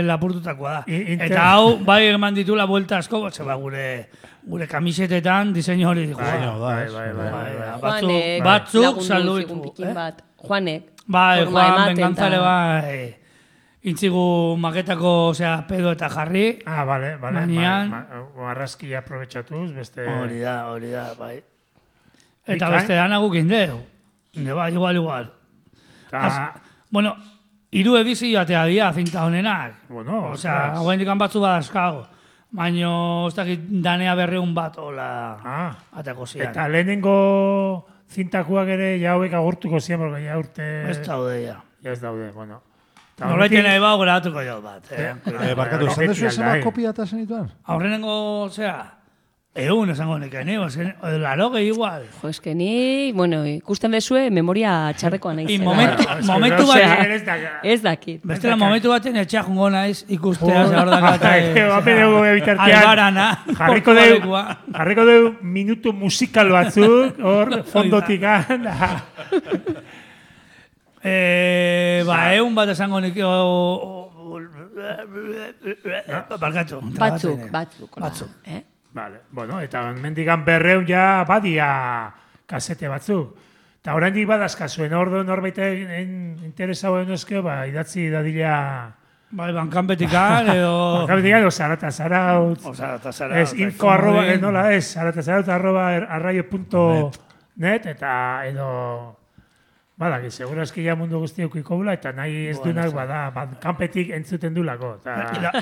lapurtutakoa da. Eta hau, bai eman ditu la vuelta asko, gure kamisetetan diseinu hori dijo. Batzuk saldu ditu. Juanek. Bai, forma Juan ematen Bengantzale ta- bai. Intzigu maketako, pedo eta jarri. Vale. Manian. Marrazkia aprobetxatuz, beste... Hori da, bai. Eta Bikain. beste dana gukin deu. Bai, igual. Bueno, 3 edizio atea dira zinta honenak. Bueno, Osea, ostras. hauen dikan batzu badazkago. Baina, ez dakit danea 200 bat, hola, atako zian. Eta lehenengo zintakuak ere ja hauek agurtuko zian, porque ja urte... Ez daude, ja. Ja ez daude, bueno. Eta Norbaiten honekin- nahi bau grabatuko jau bat. Barkatu, esan dezu esan bai. kopia eta zenituan? Aurrenengo, esango neken, laro gehi igual. Jo, eske ni, ikusten bezue, memoria txarrekoa nahi I zela. momentu bat, Ez dakit. bestela momentu baten etxea jungo naiz ikustea, ze hor dakata. Albarana. Jarriko deu minutu musikal batzuk, hor, fondotikan. Egun bat esango nik... Barkatu. Batzuk. Vale, bueno, eta mendigan 200 ja badia kasete batzuk. Eta oraindik badazkazuen, ordu norbait interesau enozkeo, idatzi dadila... Bai, bankanpetikan, edo... Bankanpetikan, edo zarata zaraut. Ez, info arroba, nola ez, zarata zaraut arroba arraio.net, eta edo... Badaki, segurazki ja mundu guzti eukiko bula, eta nahi ez duenak bankanpetik entzuten dulako.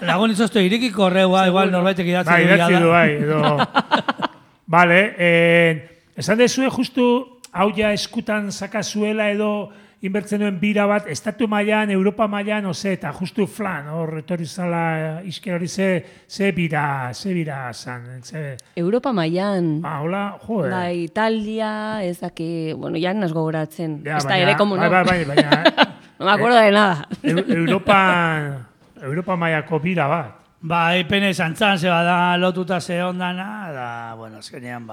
Lagun izoztu irikiko horreua, igual norbaitek idatzi du. Idatzi du, edo... Vale, esan dezue justu hau ja eskutan sakazuela edo inbertzen duen bira bat, estatu mailan, Europa mailan, eta justu flan, hor etorri zala izker hori ze bira zan. Europa mailan. Hola, joder. Bai, Italia, ez daki, bueno, ya nas gogoratzen. Ez da ere, como no. Baina. No me acuerdo de nada. Europa mailako bira bat. Bai, pene zantzan ze bada lotuta ze ondana, da, bueno, azkenean,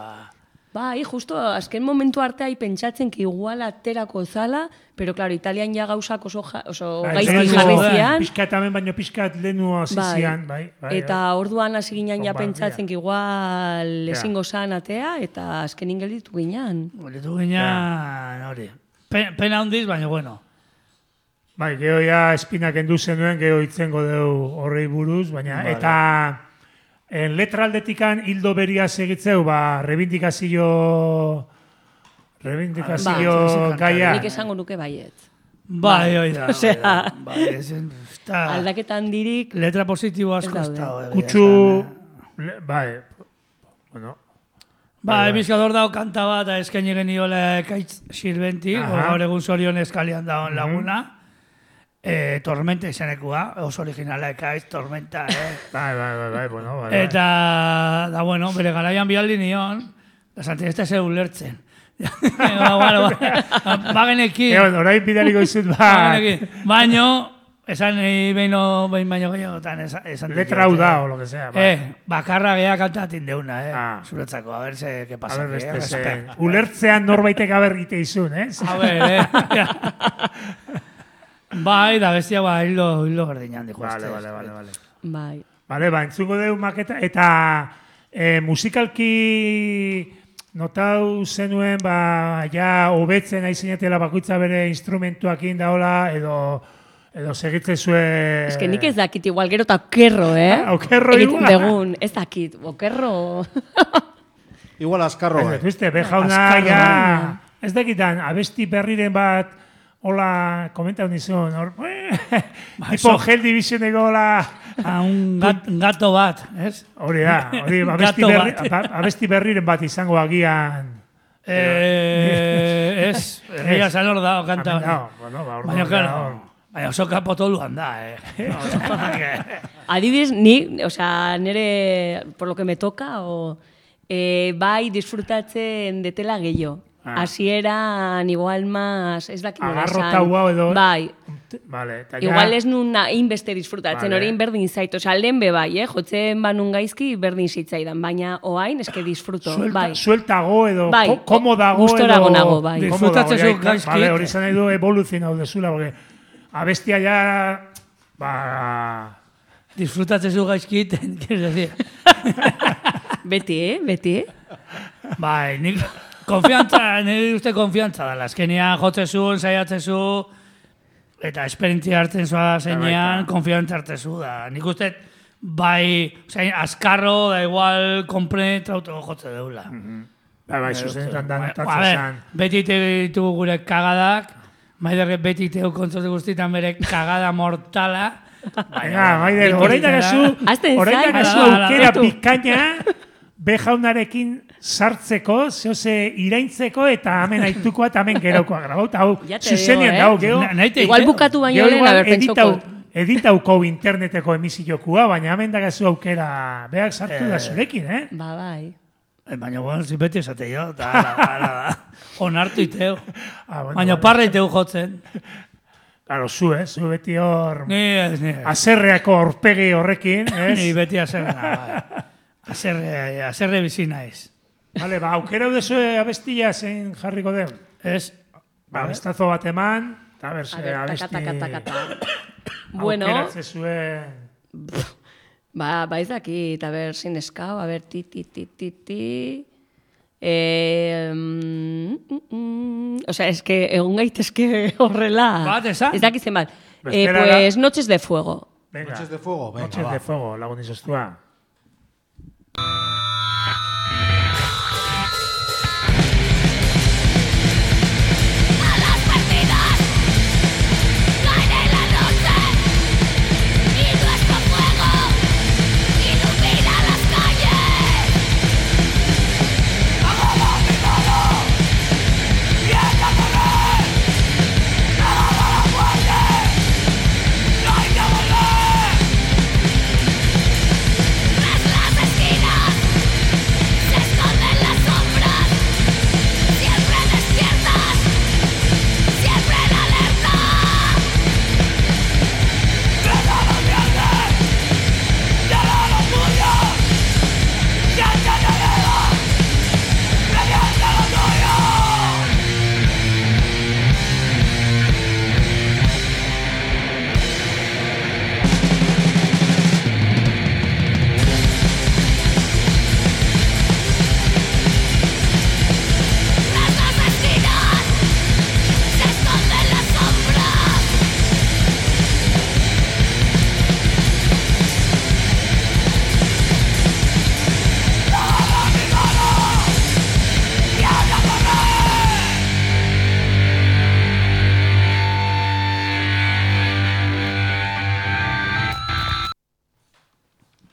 Bai, justo, azken momentu artea pentsatzen ki igual aterako zala, pero claro, Italian ja gauzak oso gaizki jarri zian. Piskat hemen baino piskat lehenu hasi zian, bai. Eta orduan hasi ginen ja pentsatzen ki igual ezingo zan atea, eta azkenin gelditu ginen. Gelditu ginen, hori. Pena handiz, baina bueno. Bai, geho ja espinak endu zenuen, geho itzengo deu horrei buruz, baina, eta... letraldetikan hildo beria segitzeu, reivindikazio gaia. Nik esango nuke baiet. Bai, oida. Aldaketa handirik... Letra positibo asko ez da. Kutsu... Bai, bueno... Bai, bizkador dao kanta bat, eskaini geniola Ekaitz Sirventi, gaur egun Zorion eskalian dagoen laguna. Tormenta izanekua, oso originala Ekaitz, Tormenta, Bai, bueno, bai. Eta, da, bueno, bere garaian bialdi nion, da Santiago ez ulertzen. Bagenekin. Orain bidaliko izut, baino, esan behin baino gehiagotan esan. Letra hau da, o lo que sea. Bakarra geha kantatin deuna, zuretzako, a ver se, que pasa. Ulertzean norbaitek abergite izun, A ver, Bai, da bestia hildo berdinan dijo. Vale. Bai. Vale, entzungo deu maketa, eta musikalki notau zenuen, ja hobetzen aizinatela bakoitza bere instrumentuakin daola, edo segitzen zue... Ez que nik ez dakit, igual gero eta okerro, Okerro igual. Begun, ez dakit, okerro... Igual askarro. Bejauna, ja... Ez dakitan, abesti berriren bat... Hola, komentau nizun, tipo Hell Divisioneko hola... Un gato bat, ez? Hori da, abesti berriren bat izango agian... Ez, herria zan hor da, kanta hori. Baina, claro, baina oso kapotoluan da, Adibidez, ni, nire, por lo que me toca, bai disfrutatzen detela gehiago. Hasieran igual más, ez dakit nola esan. Agarrota edo... Bai. Vale, igual ez nun inbeste disfrutatzen, hori berdin zait. Lehen be bai, jotzen banun gaizki berdin zitzaidan, baina oain eske disfruto. Sueltago edo, komodago edo... Gustorago nago, bai. Disfrutatzen zu gaizki. Vale, hori zan nahi du evoluzionau dezula, porque abestia ja... Disfrutatzen zu gaizki, quieres decir. Beti. Bai, nik... Konfiantza, nire uste konfiantza dala. Azkenean jotzezu, ensaiatzezu, eta esperientzia hartzen zua zeinean, konfiantza hartzezu da. Nik uste, bai, azkarro, da igual, kompenetrautu jotze deula. Bai, zuzenetan da notatzen zan. Beti ditugu gure kagadak, Maider beti tegu kontzote guztietan bere kagada mortala. Maider, horrein dagazu aukera bikaina, Bejaunarekin sartzeko, zehose iraintzeko, eta hemen aitukoa eta hemen geraukoa grabauta. Hau, zuzenian dago. Igual bukatu baino lehen, haber pentsoko. Editauko interneteko emisiokua, baina hemen dagazu aukera behak sartu da zurekin, Ba, bai. Baina, bueno, beti esate jo, eta onartu iteo. Baina parra iteo jotzen. Claro, zu beti hor... Aserreako aurpegi horrekin, Ni beti aserreak. Azerre bizina ez. Vale, aukera dezu abestia zein jarriko den. Ez. Abestazo bat eman, eta berse abesti... Bueno... Aukeratze zuen... Ba ez dakit, a ber, sin eskau, a ber, Osea, eske egon gaitezke horrela. Bat, esan? Ez dakitzen bat. Bestela Pues Noches de Fuego. Venga. Noches de fuego, venga, Noches va. de fuego, lagun izostua.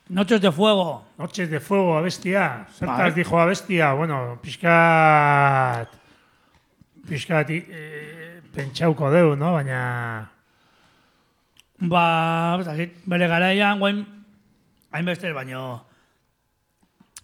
Noches de Fuego. Noches de fuego, abestia. Zertaz Bai. dijo abestia. Bueno, pixkat pentsauko deu, no? Baina... Ba, bere garaian, guain, hainbeste, baino,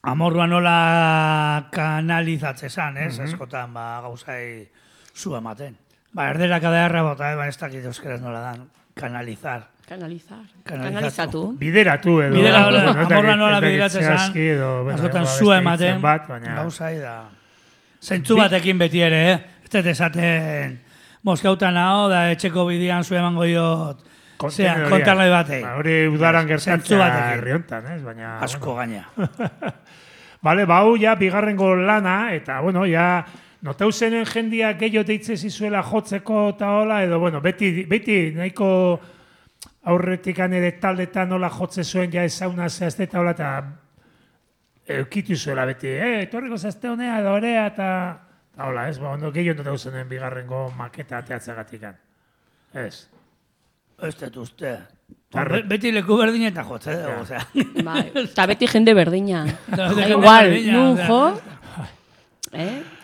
amorrua nola kanalizatze zan, ez? Askotan, ba, gauzai zu ematen. Ba, erderak adarra bota, ba, ez dakit euskeraz nola dan, kanalizar. Kanalizatu. Bideratu edo. Amorrua nola bideratzen zan, zehazki edo, bueno, askotan abesti zu hitzen ematen, bat, baina... gauzai da. Zentzu batekin beti ere, ez dut esaten, moskautan hau, da etxeko bidian zu emango diot, kontarlai batei. Ba, hori udaran Zentzu gertatzea batekin. herri hontan, ez? Baina... Asko gaina. Vale, bau, ja, bigarrengo lana, eta, bueno, ja, notau zenen jendia gehiago deitze zizuela jotzeko eta hola, edo, bueno, beti nahiko aurretik ere taldetan nola jotze zuen ja ezauna zehazte eta hola, eta eukitu zuela beti, etorriko zazte honea edo orea, eta hola, ez, ba, ondo gehiago notau zenen bigarrengo maketa ateatzagatikan. Ez. Ez dut uste. Tarre. Beti leku berdin eta jotze dugu, osea. Bai, eta beti jende berdina. jende Igual, berdina, nun osea. jo.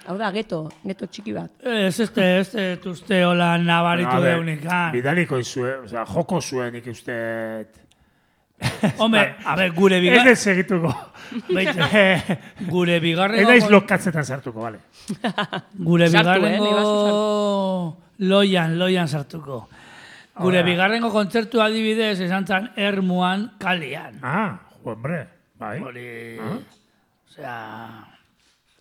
Hau da, geto txiki bat. Ez dut uste hola nabaritu A ver, deunikan. Bidaliko izue, osea, joko zuen nik uste... Hombre, a ver, gure Ez bigarren... ez segituko. Gure Ez bigarrengo... naiz lokatzetan sartuko, bale. Gure Sartu, bigarrengo... ni bazu Loian sartuko. Gure bigarrengo kontzertu adibidez esan zan Ermuan kalian. Ah, hombre, bai. Hori... Osea...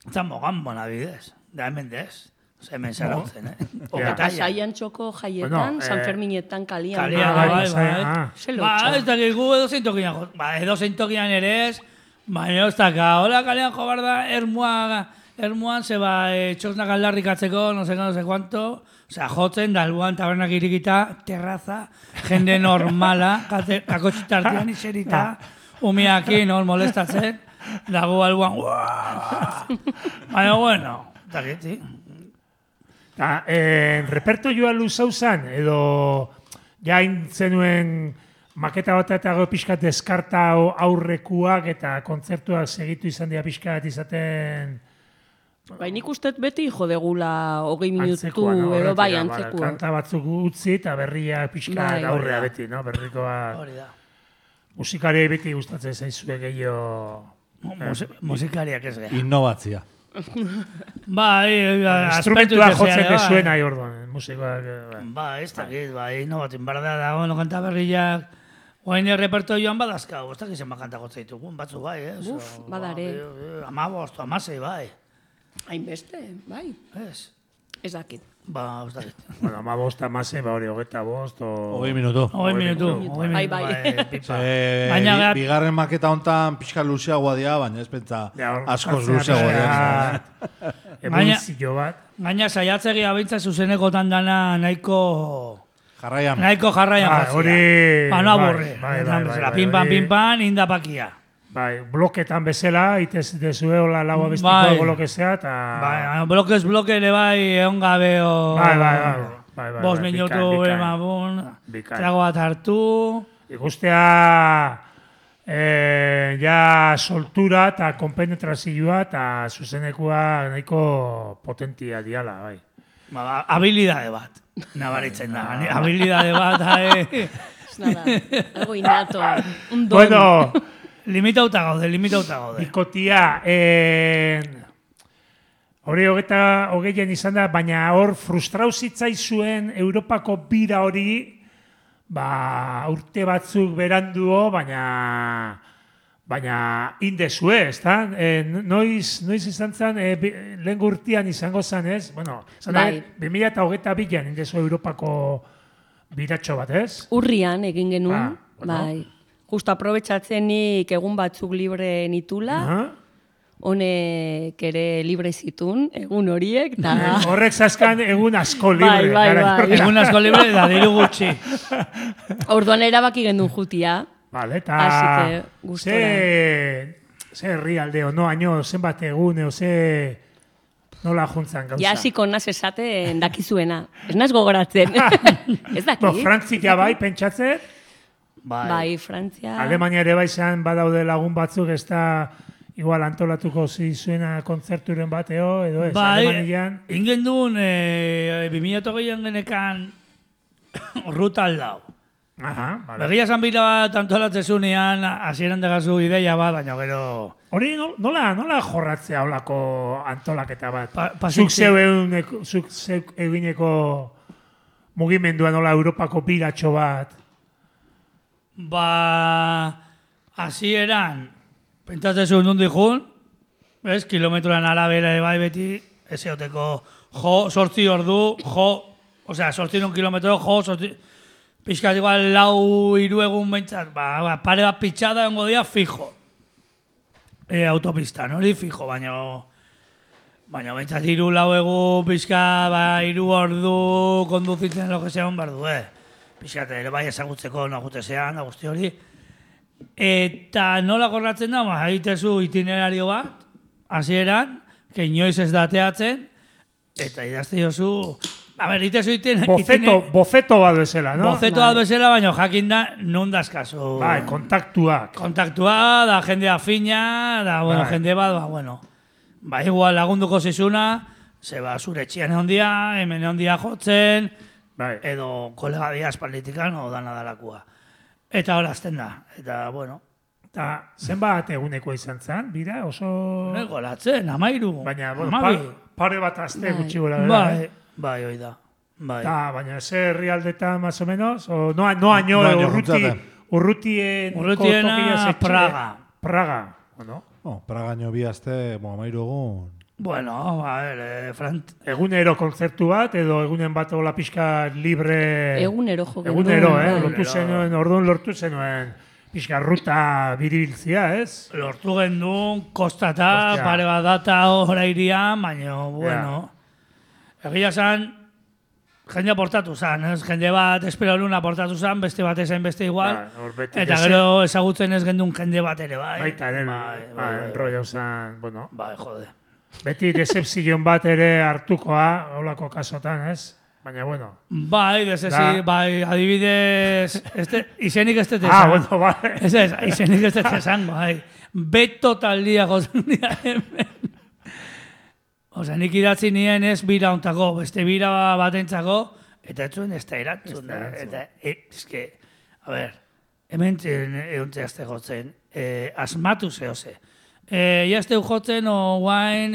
Zan mogambon adibidez. Da hemen dez. Osea, hemen zarautzen, Eta Pasaian txoko jaietan, Bueno, San Ferminetan kalian. Kalian, bai, bai. Ze Ba, lotxa. ez dakik gu edozein tokian jo. Ba, edozein tokian ere ez. Baina ez daka, hola kalean jo bar da Ermuan zeba txosnak aldarrikatzeko, no sé cuánto. Osea, jotzen, da albuan tabernak irikita, terraza, jende normala, kakotxitartian iserita, umiakin, hor molestatzen, dago albuan, baina, bueno, dakit, sí. Ta, reperto joa luzau zan, edo jain zenuen maketa bat eta gero pixkat deskarta aurrekuak eta kontzertuak segitu izan dira pixkat izaten... Bai, nik uste beti jo degula 20 minutu Antzekoa, no? edo bai Horretik, antzekua. Kanta batzuk utzi eta berria pixka Bai, aurrea hori da. beti, no? Berrikoa Hori da. musikariei beti gustatzen zaizue gehiago... Musikariak ez geha. Innovatzia. Bai, Instrumentua jotzen dezuen nahi orduan, musikoak... Ba, ez dakit, bai, no batin barda dago, no kanta berriak, guain repertoioan badazkau, ez dakit zenba kanta jotzen ditugun, batzu bai, ez? Uf, badare. 15, 16, bai. Hainbeste, bai. Ez. Ez dakit. Ba, ez dakit. Bueno, 15, 16, ba hori, 25, o... 20 minutu. 20 minutu. Bai. Pipa. Baina Baina bigarren maketa hontan pixka luzeagoa dira, baina ez pentsa Ja, hor askoz jartzea luzeagoa pixka- dira. evoluzio bat. Gaina saiatzegi abintza zuzenekotan dana nahiko Jarraian. jarraian. Hori... No aburre. Pin-pan, indapakia. Bai, bloketan bezala, itez dezue hola lau abestiko blokezea, eta... Bai, bloke ere bai, egon gabe Bai. 5 minutu, trago bat hartu... Ikustea, ja soltura eta konpenetrazioa eta zuzenekua nahiko potentia diala, bai. Habilidade bat, nabaritzen da. Habilidade bat, Nada, algo innato, un don. Bueno, limitauta gaude. Bikotia, hori hogeian izan da, baina hor frustrau zitzaizuen Europako bira hori, urte batzuk beranduo, baina indezue, ez da? Noiz izan zen, lehen urtean izango zen, ez? Bueno, 2022an indezu Europako biratxo bat, ez? Urrian egin genuen, bai. Justo aprobetxatzenik egun batzuk libre nitula, honek ere libre zitun, egun horiek, eta... Horrek zazkan egun asko libre. Bai. Egun asko libre, da diru gutxi. Orduan erabaki gendun jutia. Vale, eta... Así que, gustora. Ze herrialdeo, haino, zenbat egun, nola juntzan gauza. Ja, hasiko naz esaten dakizuena. Ez naz gogoratzen. Ez dakit. Frantzia bai, pentsatzen? Bai, Frantzia... Alemania ere bai zan badaude lagun batzuk, ez da... Igual antolatuko zizuena kontzerturen bateo, edo ez, Alemanian. Ingen duen, 2008an genekan ruta aldau. Vale. Begia zan bila bat antolatzezunean, hasieran degazu ideia bat, baina gero... Hori nola jorratzea holako antolaketa bat? Zuk zeu egineko mugimendua nola Europako biratxo bat? Hasieran... Pentsatzen nundi jun, kilometroan arabera bai beti, ez eoteko sortzi ordu, sortzi kilometro, pixkat igual 4-3 egun bentsat, pare bat pitxada ongo dia fijo. Autopistan, hori fijo, baina bentsat 3-4 egun, pixkat 3 ordu konduzitzen lo que sea hon bardu, pixkat ere bai ezagutzeko nagutezean, guzti hori. Eta nola gorratzen da, haitezu itinerario bat, hasieran, que inoiz ez dateatzen, eta idazte jozu, itezu itinerario... Bofeto bat bezala, no? Bofeto bat bezala, baina jakin da, non dazkazu. Bai, kontaktuak. Kontaktua, da jende afina, da, jende bat, igual lagunduko zizuna, zeba zure txian egon dia, hemen egon dia jotzen, edo kolega dia espalditikan, o dana dalakua. Eta horazten da, eta, bueno. Eta zenbat eguneko izan zen, bira, oso... Goratzen, 13. Baina, pare bat azte gutxi gora. Bai, hoi da. Baina, ze herrialdetan, más o menos? No año, urrutiena Praga, no? Praga año bi azte, 13 egun... Bueno, egunero kontzertu bat, edo egunen bat ola pixka libre... Egunero jo. Egunero, lortu zenuen pixka ruta biribiltzia, ez? Lortu gendun, kostata, pare bat data hora irian, baina, bueno... Egia zan, jende aportatu zan, ez? Jende bat esperalun aportatu zan, beste bat ezain beste igual, eta gero ezagutzen ez gendun jende bat ere, bai. Baita ere, enrollau zan, bueno... Bai, jode. Beti decepzion bat ere hartukoa, holako kasotan, ez? Baina, bueno. Bai, adibidez, izenik ez dut esan. Bueno, bai. Izenik ez dut esan, bai. Beto taldia gozen dira hemen. Nik idatzi nien ez bira ontako, beste bira batentzako, eta ez zuen ez da erantzun. Eta, hemen egon zehazte gotzen, asmatu zehose. Iazteu jotzen o guain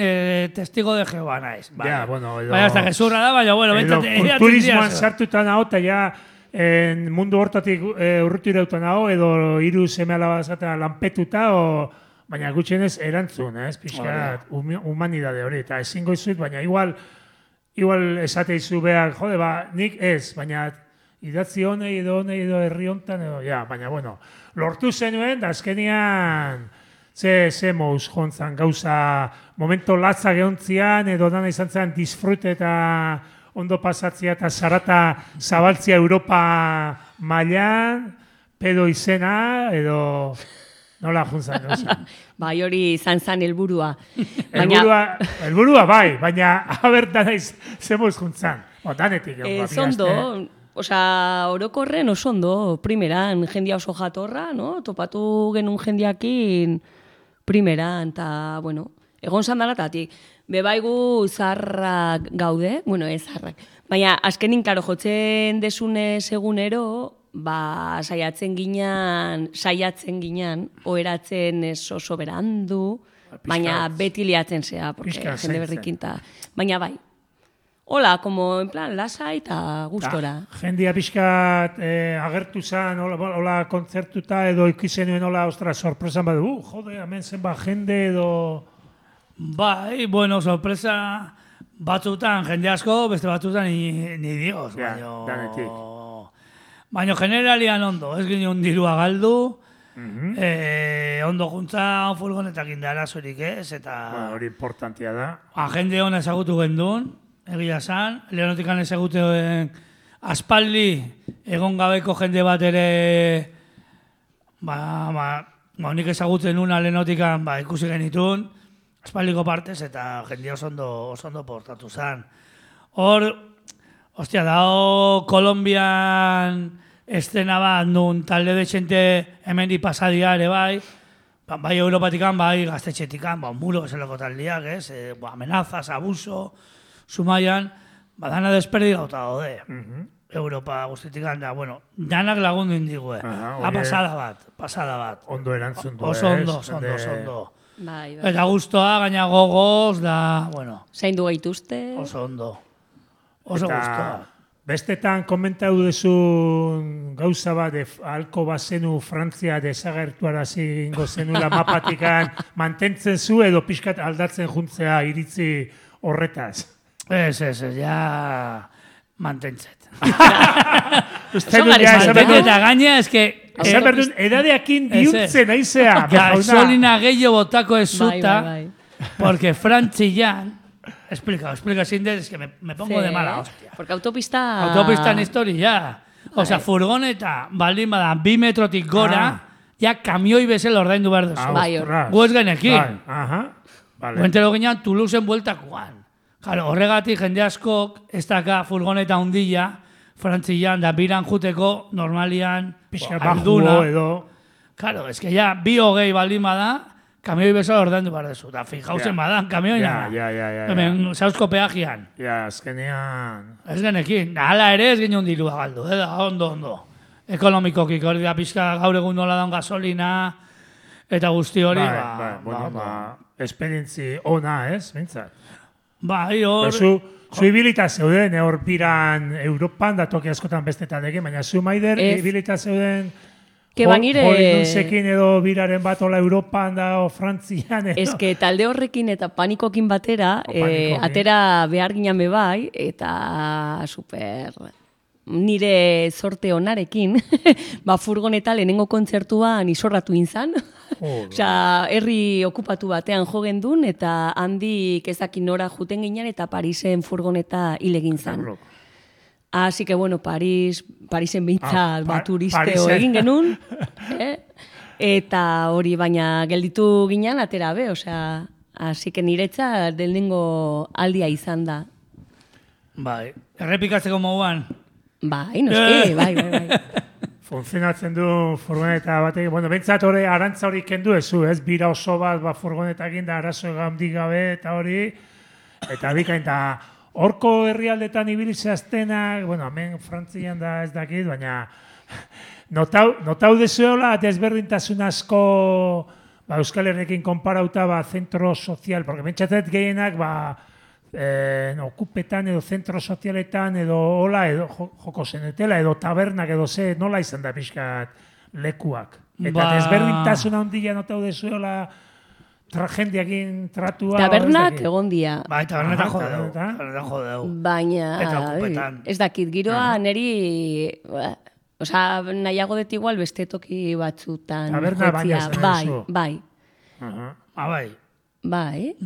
testigo de Jehová naiz. Ja, bueno, baina hasta gezurra da, baina bueno. Kulturismoan sartutan hau, eta ja mundu hortatik urrutira eutan hau, edo hiru seme alaba zaten lanpetuta, baina gutxienez erantzun, pixkat humanidade hori, eta ezingo izuit, baina igual esate izu behar, jode, nik ez, baina idatzi honei edo herri hontan, baina bueno, lortu zenuen, da azkenian ze mouz jontzan, gauza, momento latza gehontzian, edo dana izan zen disfrute eta ondo pasatzia eta zarata zabaltzia Europa mailan, pedo izena, edo nola juntzan, gauza. Bai, hori izan zen helburua. Helburua bai, baina abertan naiz ze mouz juntzan. Danetik egon Zondo, osea, orokorren oso ondo, primeran, jendia oso jatorra, no? Topatu genuen jendiakin primeran, eta, bueno, egon zandalatatik. Bebaigu zarrak gaude, bueno, ez zarrak, baina azkenin, klaro, jotzen desune segunero, saiatzen ginean, oheratzen ez oso berandu, baina beti liatzen zea, porque jende berrikinta. Baina bai, hola, como en plan, lasai eta gustora. Jendia pixkat agertu zen, hola kontzertuta edo ikizenuen hola, ostra, sorpresan badu, jode, hemen zenba jende edo... Bai, bueno, sorpresa batzutan jende asko, beste batzutan ni Dios, baina generalian ondo, ez ginen dirua galdu, ondo juntza furgonetak indarazorik ez, eta... Hori importantia da. Jende hona ezagutu gendun, egia zan, Leonotikan ezaguten aspaldi egon gabeko jende bat ere nik ezagutzen una Leonotikan ikusi genitun, aspaldiko partez eta jende oso ondo portatu zan. Hor, ostia, dao Kolombian estena bat nun talde de xente hemen di pasadia ere bai Europatikan, bai gaztetxetikan, muro eselako taldiak, ez? Amenazas, abuso, Zumaian, dana desperdigauta daude. Europa guztitikan da, bueno, danak lagundu indigue. Pasada bat. Ondo erantzun du, oso ondo. Bai. Eta gustoa, gaina gogoz, da, bueno. Zaindu gaituzte. Oso ondo. Oso gustoa. Bestetan komentau duzun gauza bat, halko bazenu Frantzia desagertuarazi ingo zenula mapatikan, mantentzen zu edo pixkat aldatzen juntzea iritzi horretaz. Ez, ja mantentzet. Eta gaina, ez que... Edadeakin diuntzen aizea. Gasolina gehiago botako ez zuta, porque Frantzian, explica, Sindel, es que me pongo de mala hostia. Porque autopista... Autopistan historia. O sea, furgoneta, baldin bada, 2 metrotik gora, ja kamioi bezel ordaindu behar duzu. Guez genekin. Guentero ginean Toulouseen bueltakoan. Claro, horregatik jende askok ez daka furgoneta hundilla, Frantzian, da biran juteko normalian alduna. Claro, es que ja, 2:20 baldin bada, kamioi bezala ordaindu behar duzu. Da, fijauzen badan, kamioina. Hemen, Sauzko peajian. Azkenean... Ez genekin. Hala ere ez ginen dirua galdu, ondo. Ekonomikokik hori da pixka gaur egun nola daun gasolina, eta guzti hori, esperientzi ona, ez, bintzat? Bai, hor... Zu ibilita zeuden, hor biran Europan, da toki askotan bestetan egin, baina zu maider ibilita zeuden hori nunzekin edo biraren bat ola Europan da o Frantzian edo. Ez que talde horrekin eta panikokin batera, atera behar ginen bebai, eta super... Nire sorte onarekin, furgoneta lehenengo kontzertuan isorratu inzan. Osea, herri okupatu batean jo gendun, eta handik ezakin nora juten ginen, eta Parisen furgoneta hilegin zan. Así que, bueno, Parisen bintzat turisteo egin genuen. Eta hori baina gelditu ginen, atera be, osea, así que niretza lehenengo aldia izan da. Bai, errepikatzeko moduan. Bai, noski, bai. Funtzionatzen du furgoneta batek, bueno, bentsat hori arantza hori kendu ezu, ez? Bira oso bat furgonetakin da arazo egamdik gabe eta hori, eta bikain da, horko herrialdetan ibilizaztenak, bueno, hemen Frantzian da ez dakit, baina notau dezuela desberdintasun asko Euskal Herrekin konparauta zentro sozial, porque bentsatzet gehienak okupetan edo zentro sozialetan edo hola edo joko zenetela edo tabernak edo ze nola izan da pixkat lekuak. Eta desberdintasun handia notau dezuela jendiakin tratua. Tabernak egon dia. Bai, tabernetan jodeu. Baina ez dakit, giroa neri nahiago dut igual beste toki batzutan. Taberna baina zen. Bai. Bai. Bai.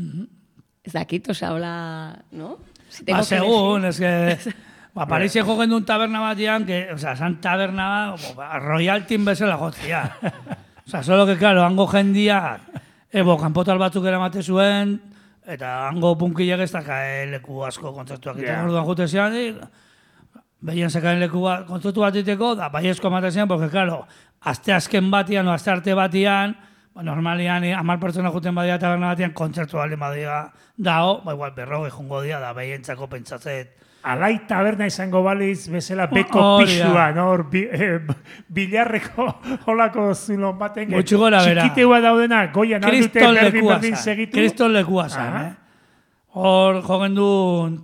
Ez dakit, oza, hola, no? Si tengo Ba, que segun, elegir. es que... Ba, Parisen jogen duen taberna batian, que, o sea, san taberna, Royal Team bezala jotzia. O sea, solo que, claro, hango jendia, kanpotal batzuk eramate zuen, eta hango punkilek ez daka leku asko kontzertuak egiten. Orduan jute zian, behien zekaen leku kontzertu bat egiteko, da baiezko ematen zian, porque, claro, aste azken batian, o aste arte batian, normalian, 10 pertsona juten badia taberna batian, kontzertu baldin badia dao, igual 40 jungo dia, da behientzako pentsatzet, Alai taberna izango baliz bezala beko pixua, no? Bilarreko holako zulon baten. Gutxi gora bera. Txikiteua daudena, goian aldute berdin segitu. Kriston lekua zan, Hor jogen du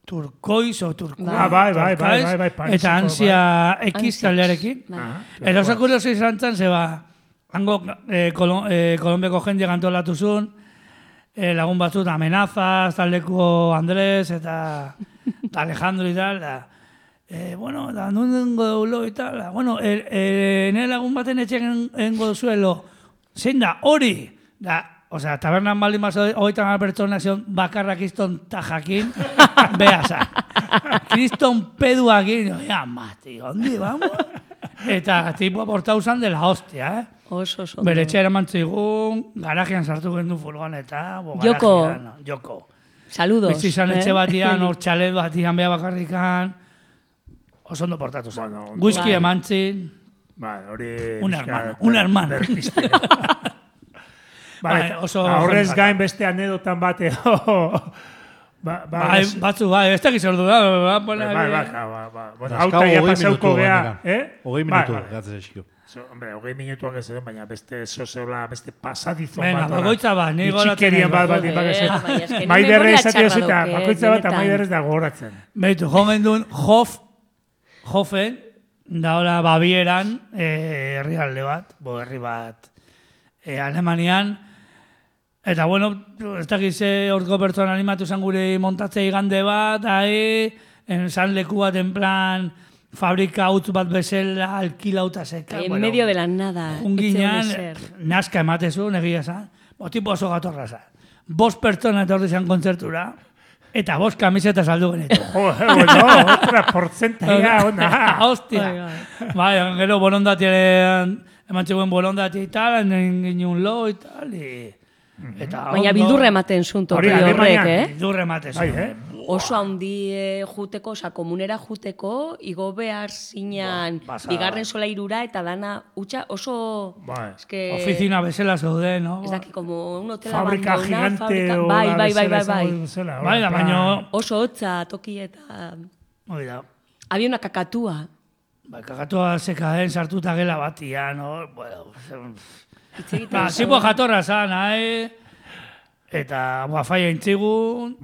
turkoiz o turkoa. Bai. Eta ansia X taldearekin. Eta oso kurioso izan zen, zeba, hango Kolombiako jende gantolatu zuen, lagun batzut, Amenazas, taldeko Andrés, eta Alejandro y tal, bueno, da nundengo deulo y tal, bueno, nire lagun baten etxen engo duzuelo, zein da, hori, da, osea, tabernan baldin mazo, 30 pertsona zion bakarra kriston tajakin, behaza, kriston peduakin, ya, mati, ondi, vamos? Eta tipo aportau zan de la hostia, Oso. Bere etxera mantzigun, garajean sartu gendu furgoneta. Joko. Saludos. Bizi izan etxe batian, hor txalet batian beha bakarrikan. Oso ondo portatu zen. Whisky emantzin. Un hermano. Horrez gain beste anedotan bate. Batzu, ez dakiz ordu da. Hauta ja pasauko geha. 20 minutu, gatzez esiko. Hombre, 20 minutuak ez edo, baina beste zozeola, beste pasadizon bat. Venga, bakoitza bat, nire goratzen. Itxikerian bat, maiderre esatio zita, bakoitza bat, maiderrez da goratzen. Beitu, jomen duen Hofen, da hola Babieran, herrialde bat, herri bat, Alemanian, eta bueno, ez dakize horko pertsona animatu zen gure montatzei igande bat, zan leku bat en plan, fabrika utz bat bezala alkilauta zeka. En medio de la nada. Unginean, nazka ematezu, negia zan, tipo oso gatorra zan. 5 pertsona etorri zan kontzertura, eta 5 kamiseta saldu genetu. Otra porcentaia ona. Hostia. Bai, gero bolondatiaren, eman txeguen bolondati y tal, ginen lo y tal, baina bildurre ematen zunto horrek, Bildurre ematen zunto. Oso handi juteko, oza, komunera juteko, igo behar zinan, bigarren solairura eta dana utxa oso... Oficina bezala zaude, no? Ez daki, como un hotel fabrika gigante o... Bai, baina... Oso hotza, toki eta... Había una kakatua. Kakatua zekaen sartuta gela batia, no? Bueno... Zipo jatorra zan, eta faia intzigun...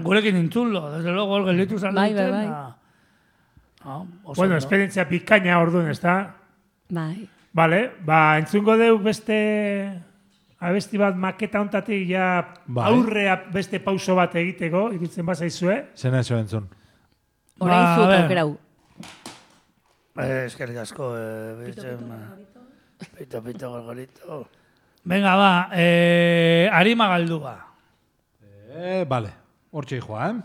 Gurekin intzullo, desde luego, el gelitu zan duten. Bueno, esperientzia pikaina orduan, ez da? Bai. Vale, entzungo deu beste abesti bat maketa ontatik ja aurrea beste pauso bat egiteko, ikutzen bazaizue. Zena eso entzun. Orain zut aukerau. Eskerrik asko, Pito, gorgorito. Venga, ba, Arima Galdua. Vale. Hortxe joa,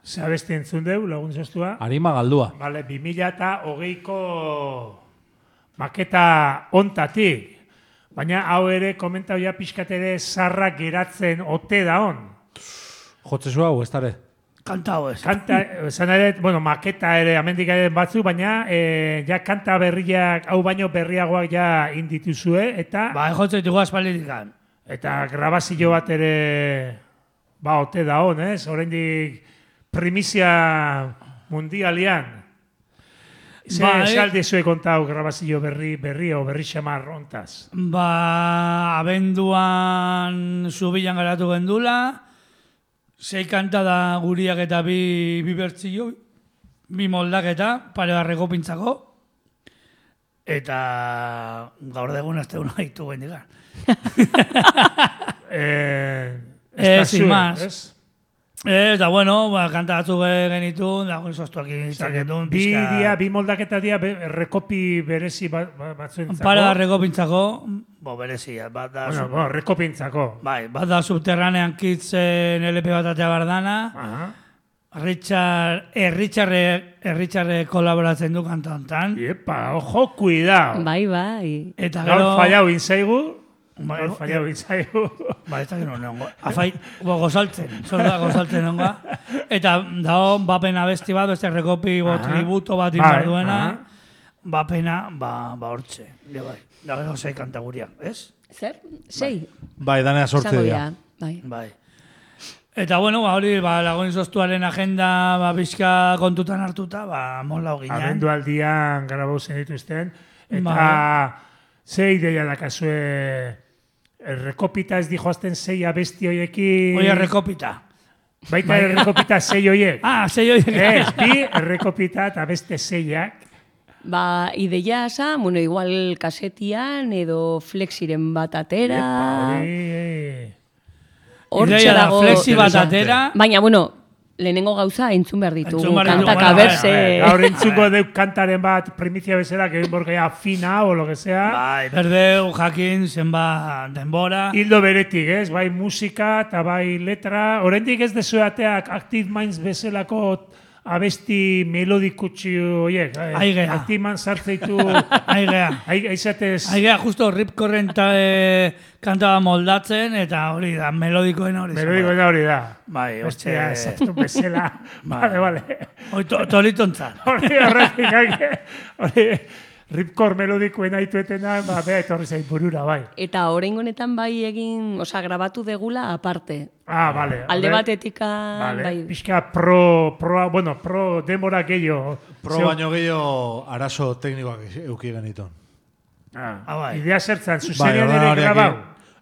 ze abesti entzun deu, lagun zoztua. Arima galdua. Vale, 2008ko maketa ontatik. Baina hau ere, komentau ja pixkat ere zarrak geratzen ote da on. Jotzezu hau, ez dara? Kanta hau ez. Kanta, esan ere, bueno, maketa ere, amendik ere batzu, baina ja kanta berriak, hau baino berriagoak ja indituzue, eta... Ba, jotzen dugu aspaldikan. Eta grabazio bat ere, ba, ote da on, ez? Oraindik primizia mundialian. Alde zue kontau grabazio berri o berri xamar ontaz? Ba, abenduan zubilan garatu gendula, 6 kanta da guriak eta bi bertzio, 2 moldaketa, pare barreko pintzako, eta gaur degun azte hona haitu gendikan. Sin más. Eta bueno, kanta batzuk genitu, dagoen soztuak izaketan. Bi moldaketa dia rekopi berezi batzuentzako. Para rekopintzako, berezia, bat da... Bueno, rekopintzako. Bai, bat da subterranean kitzen LP bat atea bardana. Erritxarre kolaboratzen du kanta hontan. Iepa, ojo, cuidao. Bai. Eta gero... Gaur fallau inzaigu. Gaur fallau inzaigu. Ba, ez da gero nengo. Afai, gozaltzen. Zola gozaltzen nengoa. Eta dago, bapena besti bat, beste rekopi tributo bat inbar duena. Bapena, hortxe. Da gero 6 kanta guriak, ez? Zer? 6? Bai, danea 8 dira. Bai. Eta bueno, hori lagoin zoztuaren agenda bizka kontutan hartuta, mola hogin. Abendu aldian grabau zen dituzten. Eta ze ideia dakazue errekopita ez dijoazten 6 abesti hoiekin... Oie, errekopita. Baita errekopita 6 hoiek. 6 hoiek. Ez, bi errekopita eta beste 6ak. Ba, ideia asa, bueno, igual kasetian edo flexiren bat atera. Ideia da flexi bat atera. Baina, bueno, lehenengo gauza entzun behar ditugu. Kantak aberse. Gaur entzungo deuk kantaren bat primizia bezala, que borgea fina o lo que sea. Bai, berdeu, jakin, zenba denbora. Hildo beretik, ez? Bai musika eta bai letra. Oraindik ez dezuateak Active Minds bezalako abesti melodikutxi horiek. Aigea. Active Minds sartzeitu... Aigea. Aizatez... Aigea, justo Rip Current kantaba moldatzen, eta hori da, melodikoena hori. Melodikoena hori da. Bai, hostia, zertu bezala. Vale. Hori tolitontzat. Hori Ripkor melodikoen aituetena, beha etorri zain burura, bai. Eta oraingo honetan bai egin, grabatu degula aparte. Vale. Alde batetika, bai. Pixka pro demora gehiago. Pro baino gehiago arazo teknikoak euki genitun. Idea zertzan, zuzenian ere grabau.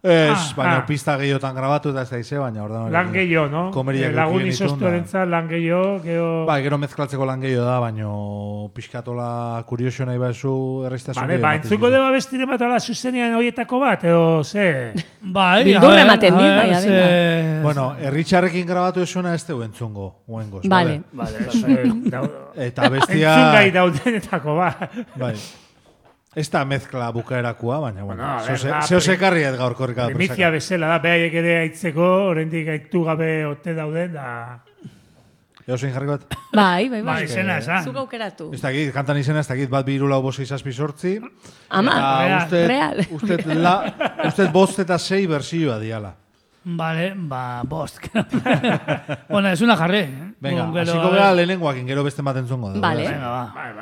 Ez, baina pista gehiotan grabatu eta ez da ize, baina ordan hori. Lan gehiago, no? Lagun izoztuarentza lan gehiago, Ba, gero mezklatzeko lan gehiago da, baina pixkatola kuriosio nahi baizu erreiztasun. Ba, entzuko deba bestire bat ala zuzenian horietako bat, edo ze? Bai, bildurra ematen dit, bai, Bueno, erritxarrekin grabatu esuna ez tegu entzungo, guengoz. Vale. Eta bestia... Entzungai daudenetako, ba. Bai. Ez da mezkla bukaerakua, baina, bueno, zeo sekarri ez gaur korrika da. Primizia bezala da, behaiek ere aitzeko, oraindik gaitu gabe ote dauden, da... Ego zein jarri bat? Bai. Izena esan. Zuk aukeratu. Ez dakit, kantan izena ez dakit, bat 2 lau 5 6 7 8. Ama, real. Usted 5 eta 6 bersioa diala. Vale, 5. Bueno, es una jarre. Venga, hasiko gara lehenengoakin, gero beste bat entzungo da. Vale. Venga, va. Bai.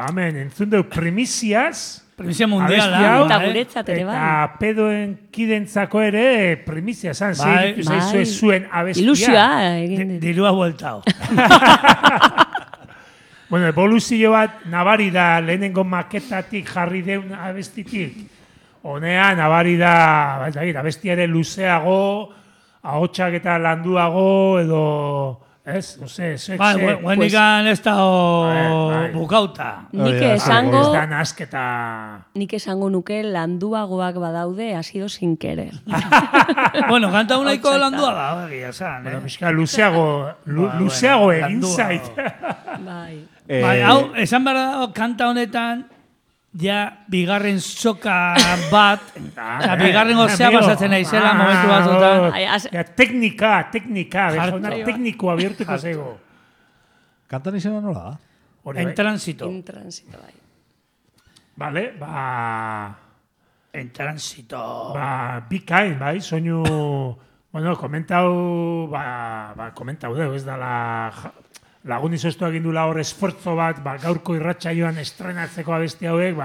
hemen entzun deu primiziaz, Primizia mundiala. abesti hau, Eta guretzat ere bai. eta pedoen kidentzako ere primizia zan, Bai. zaizue zuen abestia. Ilusioa egin dit. Dirua bueltao. Bueno, evoluzio bat nabari da lehenengo maketatik jarri deun abestitik. Honea nabari da, abestia ere luzeago, ahotsak eta landuago, edo, ez, no sé, Bai, guendikan ez da Bai. bukauta. Nik Hori da, ez esango, da nasketa... nik esango nuke landuagoak badaude, ha sido sin querer. Bueno, kanta unaiko Ahotsa landua da, egia esan, Bueno, pixka luzeago egin landua. zait. Bai. Bai, hau, esan behar da, kanta honetan, ja, bigarren soka bat, oza, bigarren gozea amigo. pasatzen naizela, momentu batzutan. Ai, Ja, teknika, Jarto. bezona teknikoa bihurtuko zego. Kantan izena nola da? Hori En bai. tránsito. In transito, bai. Vale, En tránsito. bikain, bai, soinu, bueno, komentau deu, ez da lagun izoztu egin dula hor esfortzo bat, gaurko irratsaioan estrenatzeko abesti hauek,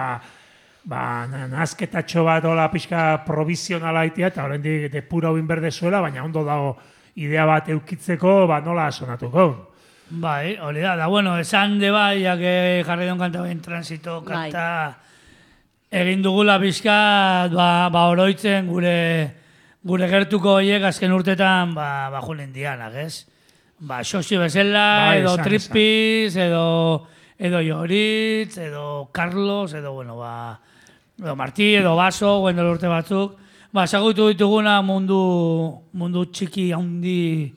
nazketatxo bat hola pixka provizionala itea, eta horrendik depura hau inberdezuela, baina ondo dago idea bat eukitzeko, nola sonatuko. Bai, hori da, bueno, esan de bai, que jarri duen kanta en tránsito, kanta egin dugula pixka, oroitzen gure gertuko horiek azken urtetan, julen dianak, ez? Xoxi bezala, Bai, edo esan, Trippiz, edo Joritz, edo Carlos, edo, edo Martí, edo Baso, guen dela urte batzuk. Esagutu dituguna mundu txiki haundi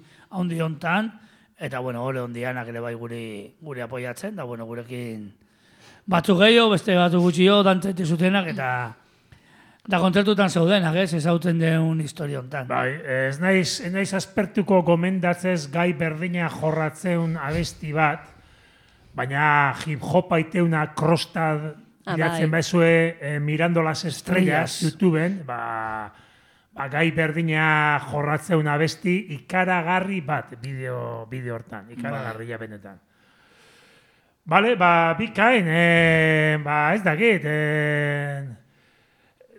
hontan, eta, hori hondianak ere bai guri apoiatzen, da, gurekin batzuk gehiago, beste batzuk gutxio, dantzete zutenak, eta kontzertutan zeudenak, ez ezauten deun historia hontan. Bai, ez naiz aspertuko gomendatzez gai berdina jorratzeun abesti bat, baina hip-hopa iteuna krostad iratzen baizue Mirando las Estrellas YouTubeen, gai berdina jorratzeun abesti ikaragarri bat bideo hortan, ikaragarria benetan. Bale, bikain, ez dakit,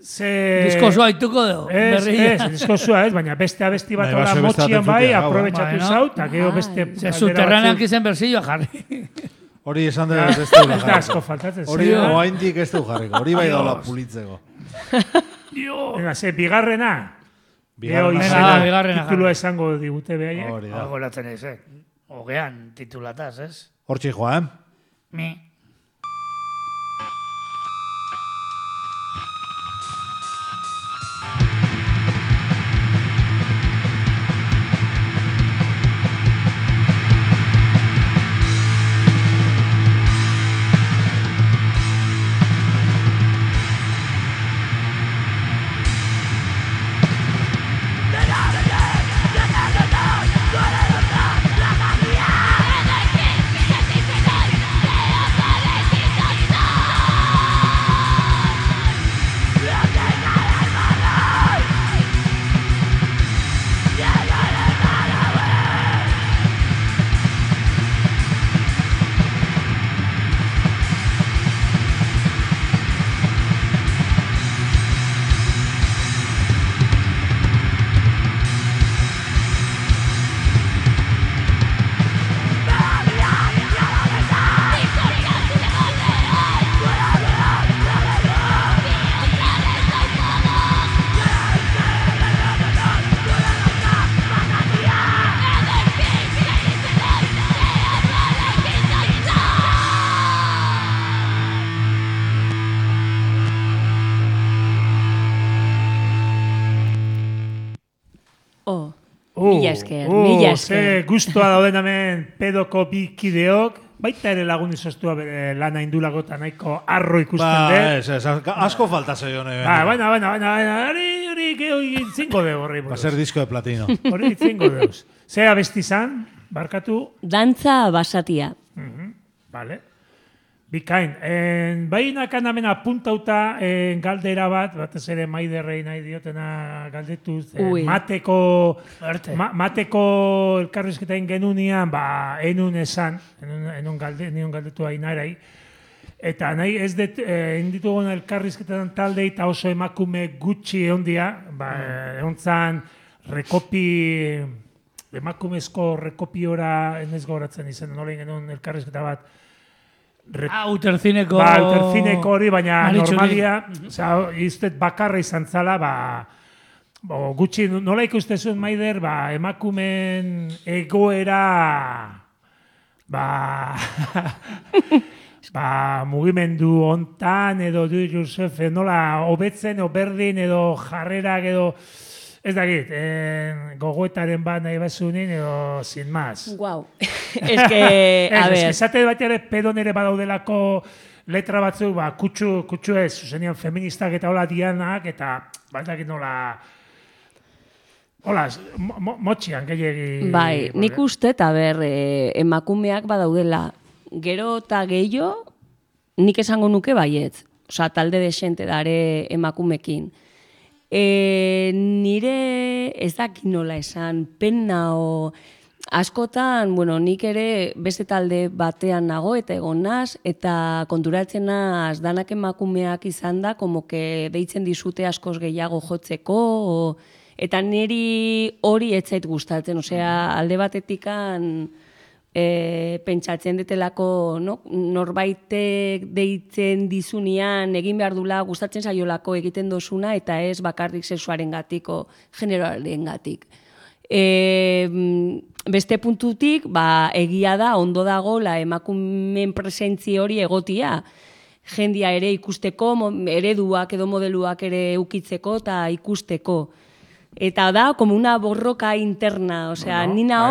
Diskozua ituko dugu, berria. Ez, diskozua ez, baina beste abesti bat Bai, hola beste motxian entzutea, bai, hau, aprobetxatu bai, zau, eta gero beste... Subterranean izen berzioa jarri. Hori esan dut ez du Ez da asko faltatzen. Hori oaindik ez du jarriko, hori bai daula pulitzeko. Venga, bigarrena. Bigarrena. Titulua esango digute behaiek. Hori da. Goratzen ez, Hogean titulataz, ez? Hortxe joa, Mi. Mila esker. Ze guztua dauden hemen pedoko bi kideok, baita ere lagun izostua bere lana indulako eta nahiko arro ikusten dut. Ez, asko falta zeione. Baina, hori itzingo dugu horri. Va ser disco de platino. Hori itzingo dugu. Ze abesti zan, barkatu? Dantza basatia. Vale. Bikain. Bainakan hemen apuntauta galdera batez ere Maiderrei nahi diotena galdetuz. Mateko elkarrizketain genunian, enun esan, enun galdetu hainarai. Eta nahi ez dut, inditugun elkarrizketan taldei eta oso emakume gutxi ondia, egontzan emakumezko rekopiora, ez gogoratzen izan, nola genuen elkarrizketa bat, Uterzineko... Uterzineko hori, baina normalia, iztet bakarra izan zala, gutxi, nola ikuste zuen Maider, emakumen egoera, mugimendu hontan, edo du Josef, nola hobetzen, edo berdin, edo jarrerak, edo... Ez dakit, gogoetaren bat nahi bazunin, edo sin más. Guau. Ez que, a ver. Esate bat ere pedon ere badaudelako letra batzuk, kutsu ez, zuzenian feministak eta hola dianak, eta bat dakit nola... Hola, motxian, gehiagi... Bai, nik uste, eta ber, emakumeak badaudela, gero eta gehiago, nik esango nuke baietz. Osa, talde desente dare emakumekin. Nire ez dakit nola esan, penna o askotan, nik ere beste talde batean nago eta egon naz, eta konturatzen naz danak emakumeak izan da, como que deitzen dizute askoz gehiago jotzeko, eta niri hori ez zait gustatzen, osea, alde batetikan pentsatzen detelako norbaitek deitzen dizunean egin behar dula gustatzen zaiolako egiten dozuna eta ez bakarrik sexuaren gatiko, generoaren gatik. Beste puntutik, egia da, ondo dago la emakumen presentzi hori egotia. Jendia ere ikusteko, ereduak edo modeluak ere ukitzeko eta ikusteko. Eta da, como una borroka interna, osea, nina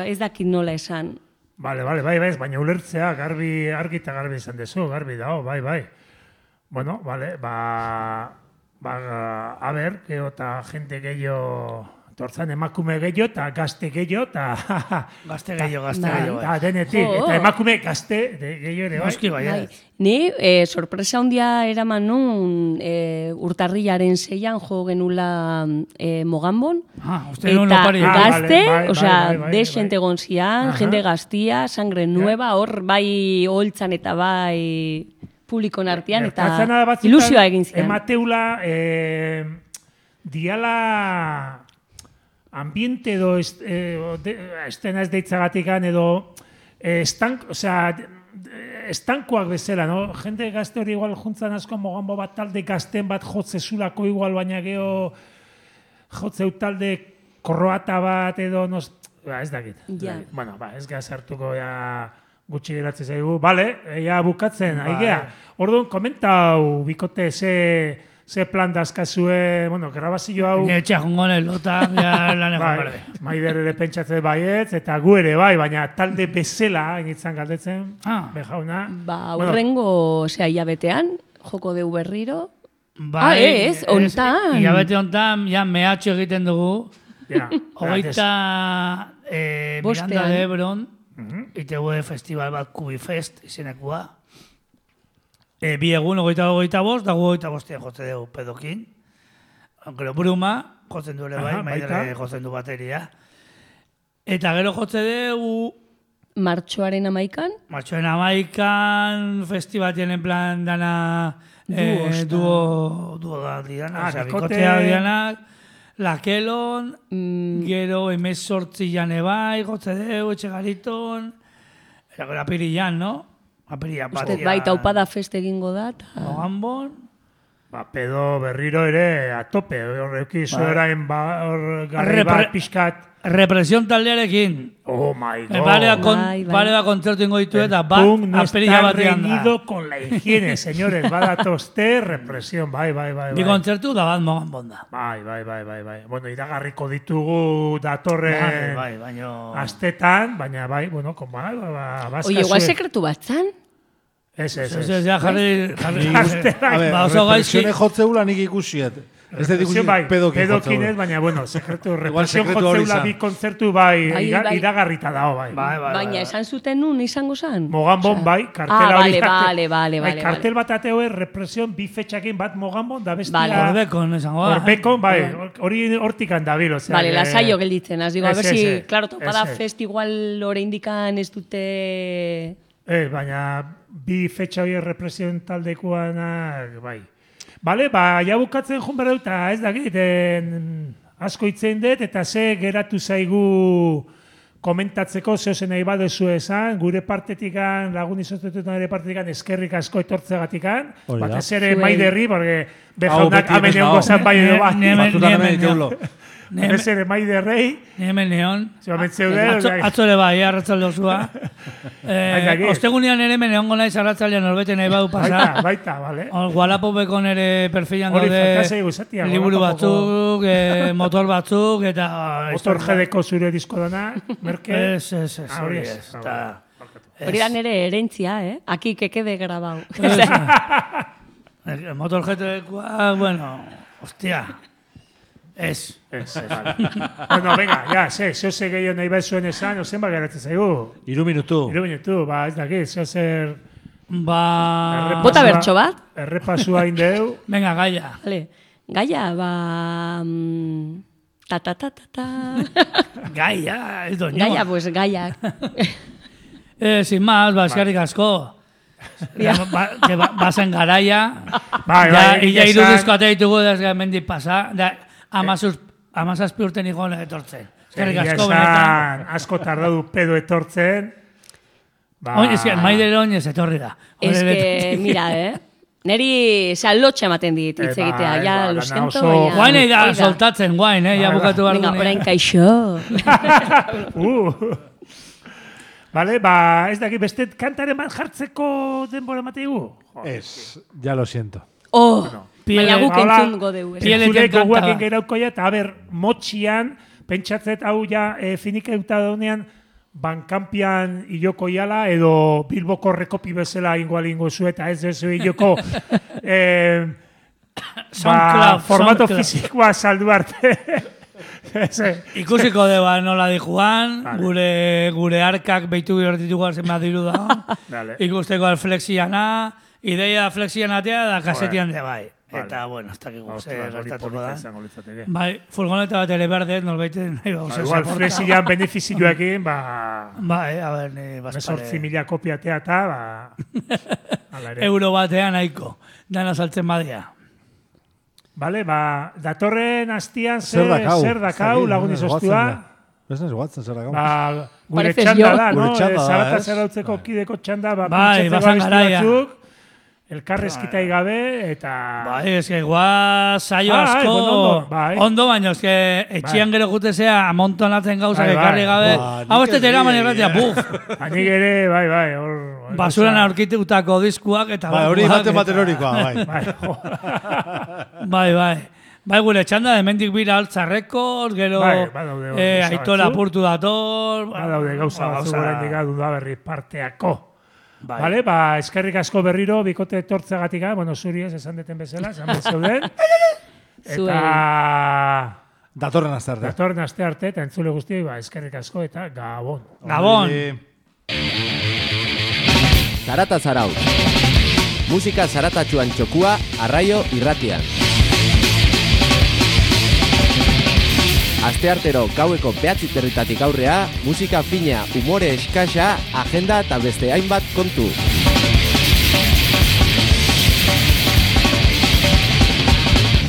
ez dakit nola esan. Bai, baina ulertzea, argi eta garbi izan dezu, garbi dao, bai. Bueno, vale, a ber, geho eta jente gehiago, tortzan emakume gehiago eta gazte gehiago, eta... Gazte gehiago. Eta denetik, eta emakume gazte gehiago ere, bai. Ni, sorpresa handia eraman nun urtarrilaren 6an jo genula Mogambon. Eta gazte, desente gonzian, jende gaztia, sangre nueva, hor bai holtzan eta bai publikon artean, eta ilusioa egin zian. Emateula, diala ambiente edo estena ez deitzagatikan edo estankoak bezala, no? Jende gazte hori igual juntzan asko Mogambo bat talde gazten bat jotzezulako igual, baina geho jotzeu talde korroata bat edo, ez dakit. Bueno, ez gazartuko gutxi geratzen zaigu. Bale, bukatzen, aigea. Orduan, komentau, bikote, ze plan dazkazue, grabazio hau... Etxea jungonen lota, laneko barde. Maider ere pentsatzen baietz, eta gu ere bai, baina talde bezala, initzan galdetzen, bejauna. Urrengo, hilabetean, joko deu berriro. Ez, ontan. Hilabete ontan, mehatxo egiten dugu. Hogeita Miranda de Ebron, itegu festival bat Kubifest izenekua. Bi egun, 25, da 25 jotze dugu pedokin. Gero Bruma, jotzen du ere bai, Maider jotzen du bateria. Eta gero jotze dugu... Martxoaren 11kan? Martxoaren 11kan, festibatien en plan dana... Duo da dianak, bikotea dianak, Lakelon, gero 18 jane bai, jotze dugu, Etxegariton, eta gero Apirillan, no? Uste baita upada feste egingo da. Mogambon. Pedo berriro ere a tope. Horreki zoerain garri bat pixkat. Represión taldearekin. Oh my God. Pare da kontzertu ingo ditu eta bat apirila batean da. No está reñido con la higiene, señores. Badatoste, represión. Bai. Bi kontzertu da bat Mogambon da. Bai. Bueno, iragarriko ditugu datorren astetan, baina bai, bueno, Oye, igual sekretu bat zan? Ez. Ja, jarri... A ver, represione jotzeula nik ikusiet. Ez dut ikusi pedokin ez, baina, bueno, represión jotzeula bi kontzertu iragarrita dao, bai. Baina esan zuten nun izango zan? Mogambon, bai, kartela hori. Vale. Kartel bat ateo represión bi fetxakin bat Mogambon, da bestia... Orbekon, esango da. Orbekon, bai, hori hortikan dabil, ozera. Vale, lasaio gelditzen, az digo, a ver si, claro, topada fest igual ore indikan ez dute... Baina bi fetxa hori represion taldekoanak, bai. Bale, ja bukatzen joan behar dut, ez dakit, asko hitzein dut, eta ze geratu zaigu komentatzeko, zehozen nahi badezu esan, gure partetikan, lagun izotetutan ere partetikan, eskerrik asko etortzegatikan, batez ere maiderri, porque behaunak hamen egon gozat bai edo bat. Batutan hemen ditulo. Ez ere maiderrei. Hemen neon. Zeude. Atzole bai, arratzalde osua. Ostegunean ere hemen egongo naiz arratzaldean norbete nahi badu pasa. Baita, bale. Wallapopeko nere perfilan daude liburu batzuk, motor batzuk, eta... Motor jedeko zure disko dana, merke. Ez. Hori da nere herentzia, Aki kekede grabau. Motor jedekoa, bueno, hostia... Ez. Vale. Bueno, venga, ja, zeo ze gehiago nahi behar zuen esan, ozen bat geratzen zaigu. 3 minutu. 3 minutu, ez dakit, zeo zer... Bota bertso bat? Errepasua indeu. Venga, Gaia. Vale. Gaia, ta. Gaia, ez doño. Gaia, pues Gaia. Sin más, eskerrik asko. Bazen garaia. Ia irudizko ate ditugu desga mendik pasa. Amazazpi urten igon etortzen. Eskerrik asko benetan. Asko tardadu pedo etortzen. Ez que maider oinez etorri da. Ez que, mira, neri lotxa ematen dit hitz egitea. Ja, lo siento. Guain da soltatzen, guain, ja bukatu behar dugu. Venga, orain kaixo. Vale, ez dakit, beste kantaren bat jartzeko denbora mateigu? Ez, ya lo siento. Baina guk entzun godeu. Zure goguakin gerauko ja, eta motxian, pentsatzet hau ja finikeuta daunean, bankampian iloko iala, edo Bilboko rekopi bezala ingo zu, eta ez zu iloko formato fizikoa saldu arte. Ikusiko deba nola di Juan, gure arkak behitu gertitugu zenbat diru da. Ikusteko alflexiana, ideia flexianatea da kasetian de bai. Eta, bueno, hasta que gertatuko da. Bai, furgoneta bat ere berdet, norbaiten nahi bau. Igual, flexian benefizioekin, bai, a ber, ni bazpare. 18.000 kopiatea eta, euro batean nahiko, dana saltzen badia. Vale, datorren hastian zer dakau lagun izostua. Ez nahi guatzen zer dakau. Gure txanda da, no? Zarata zerautzeko kideko txanda, basan garaia. Elkarrezkitai gabe, eta... Bai, ez que igual saio asko... Ondo, baina, ez que etxian gero jutezea amontonatzen gauzak ekarri gabe. Hau ez tetera mani erratia, buf! Hanik ere, bai. Basuran aurkitutako diskuak, eta... Hori baten horikoa, bai. Bai, gure txanda, hemendik bira altzarrekor, gero Aitora apurtu dator... Badaude gauza batzu goren digadu da berri parteako. Vale, eskerrik asko berriro, bikote etortzegatik, zuri ez esan deten bezala, esan bezeuden. Eta... Datorren aste arte, eta entzule guztioi, eskerrik asko, eta Gabon. Gabon! Zarata Zarautz. Musika zaratatxuan txokua, Arraio Irratian. Asteartero gaueko 9:00 aurrea, musika fina, umore eskasa, agenda eta beste hainbat kontu.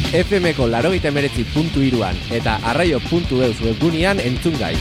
FM-ko 89.3 eta arraio.eus webgunean entzun gai.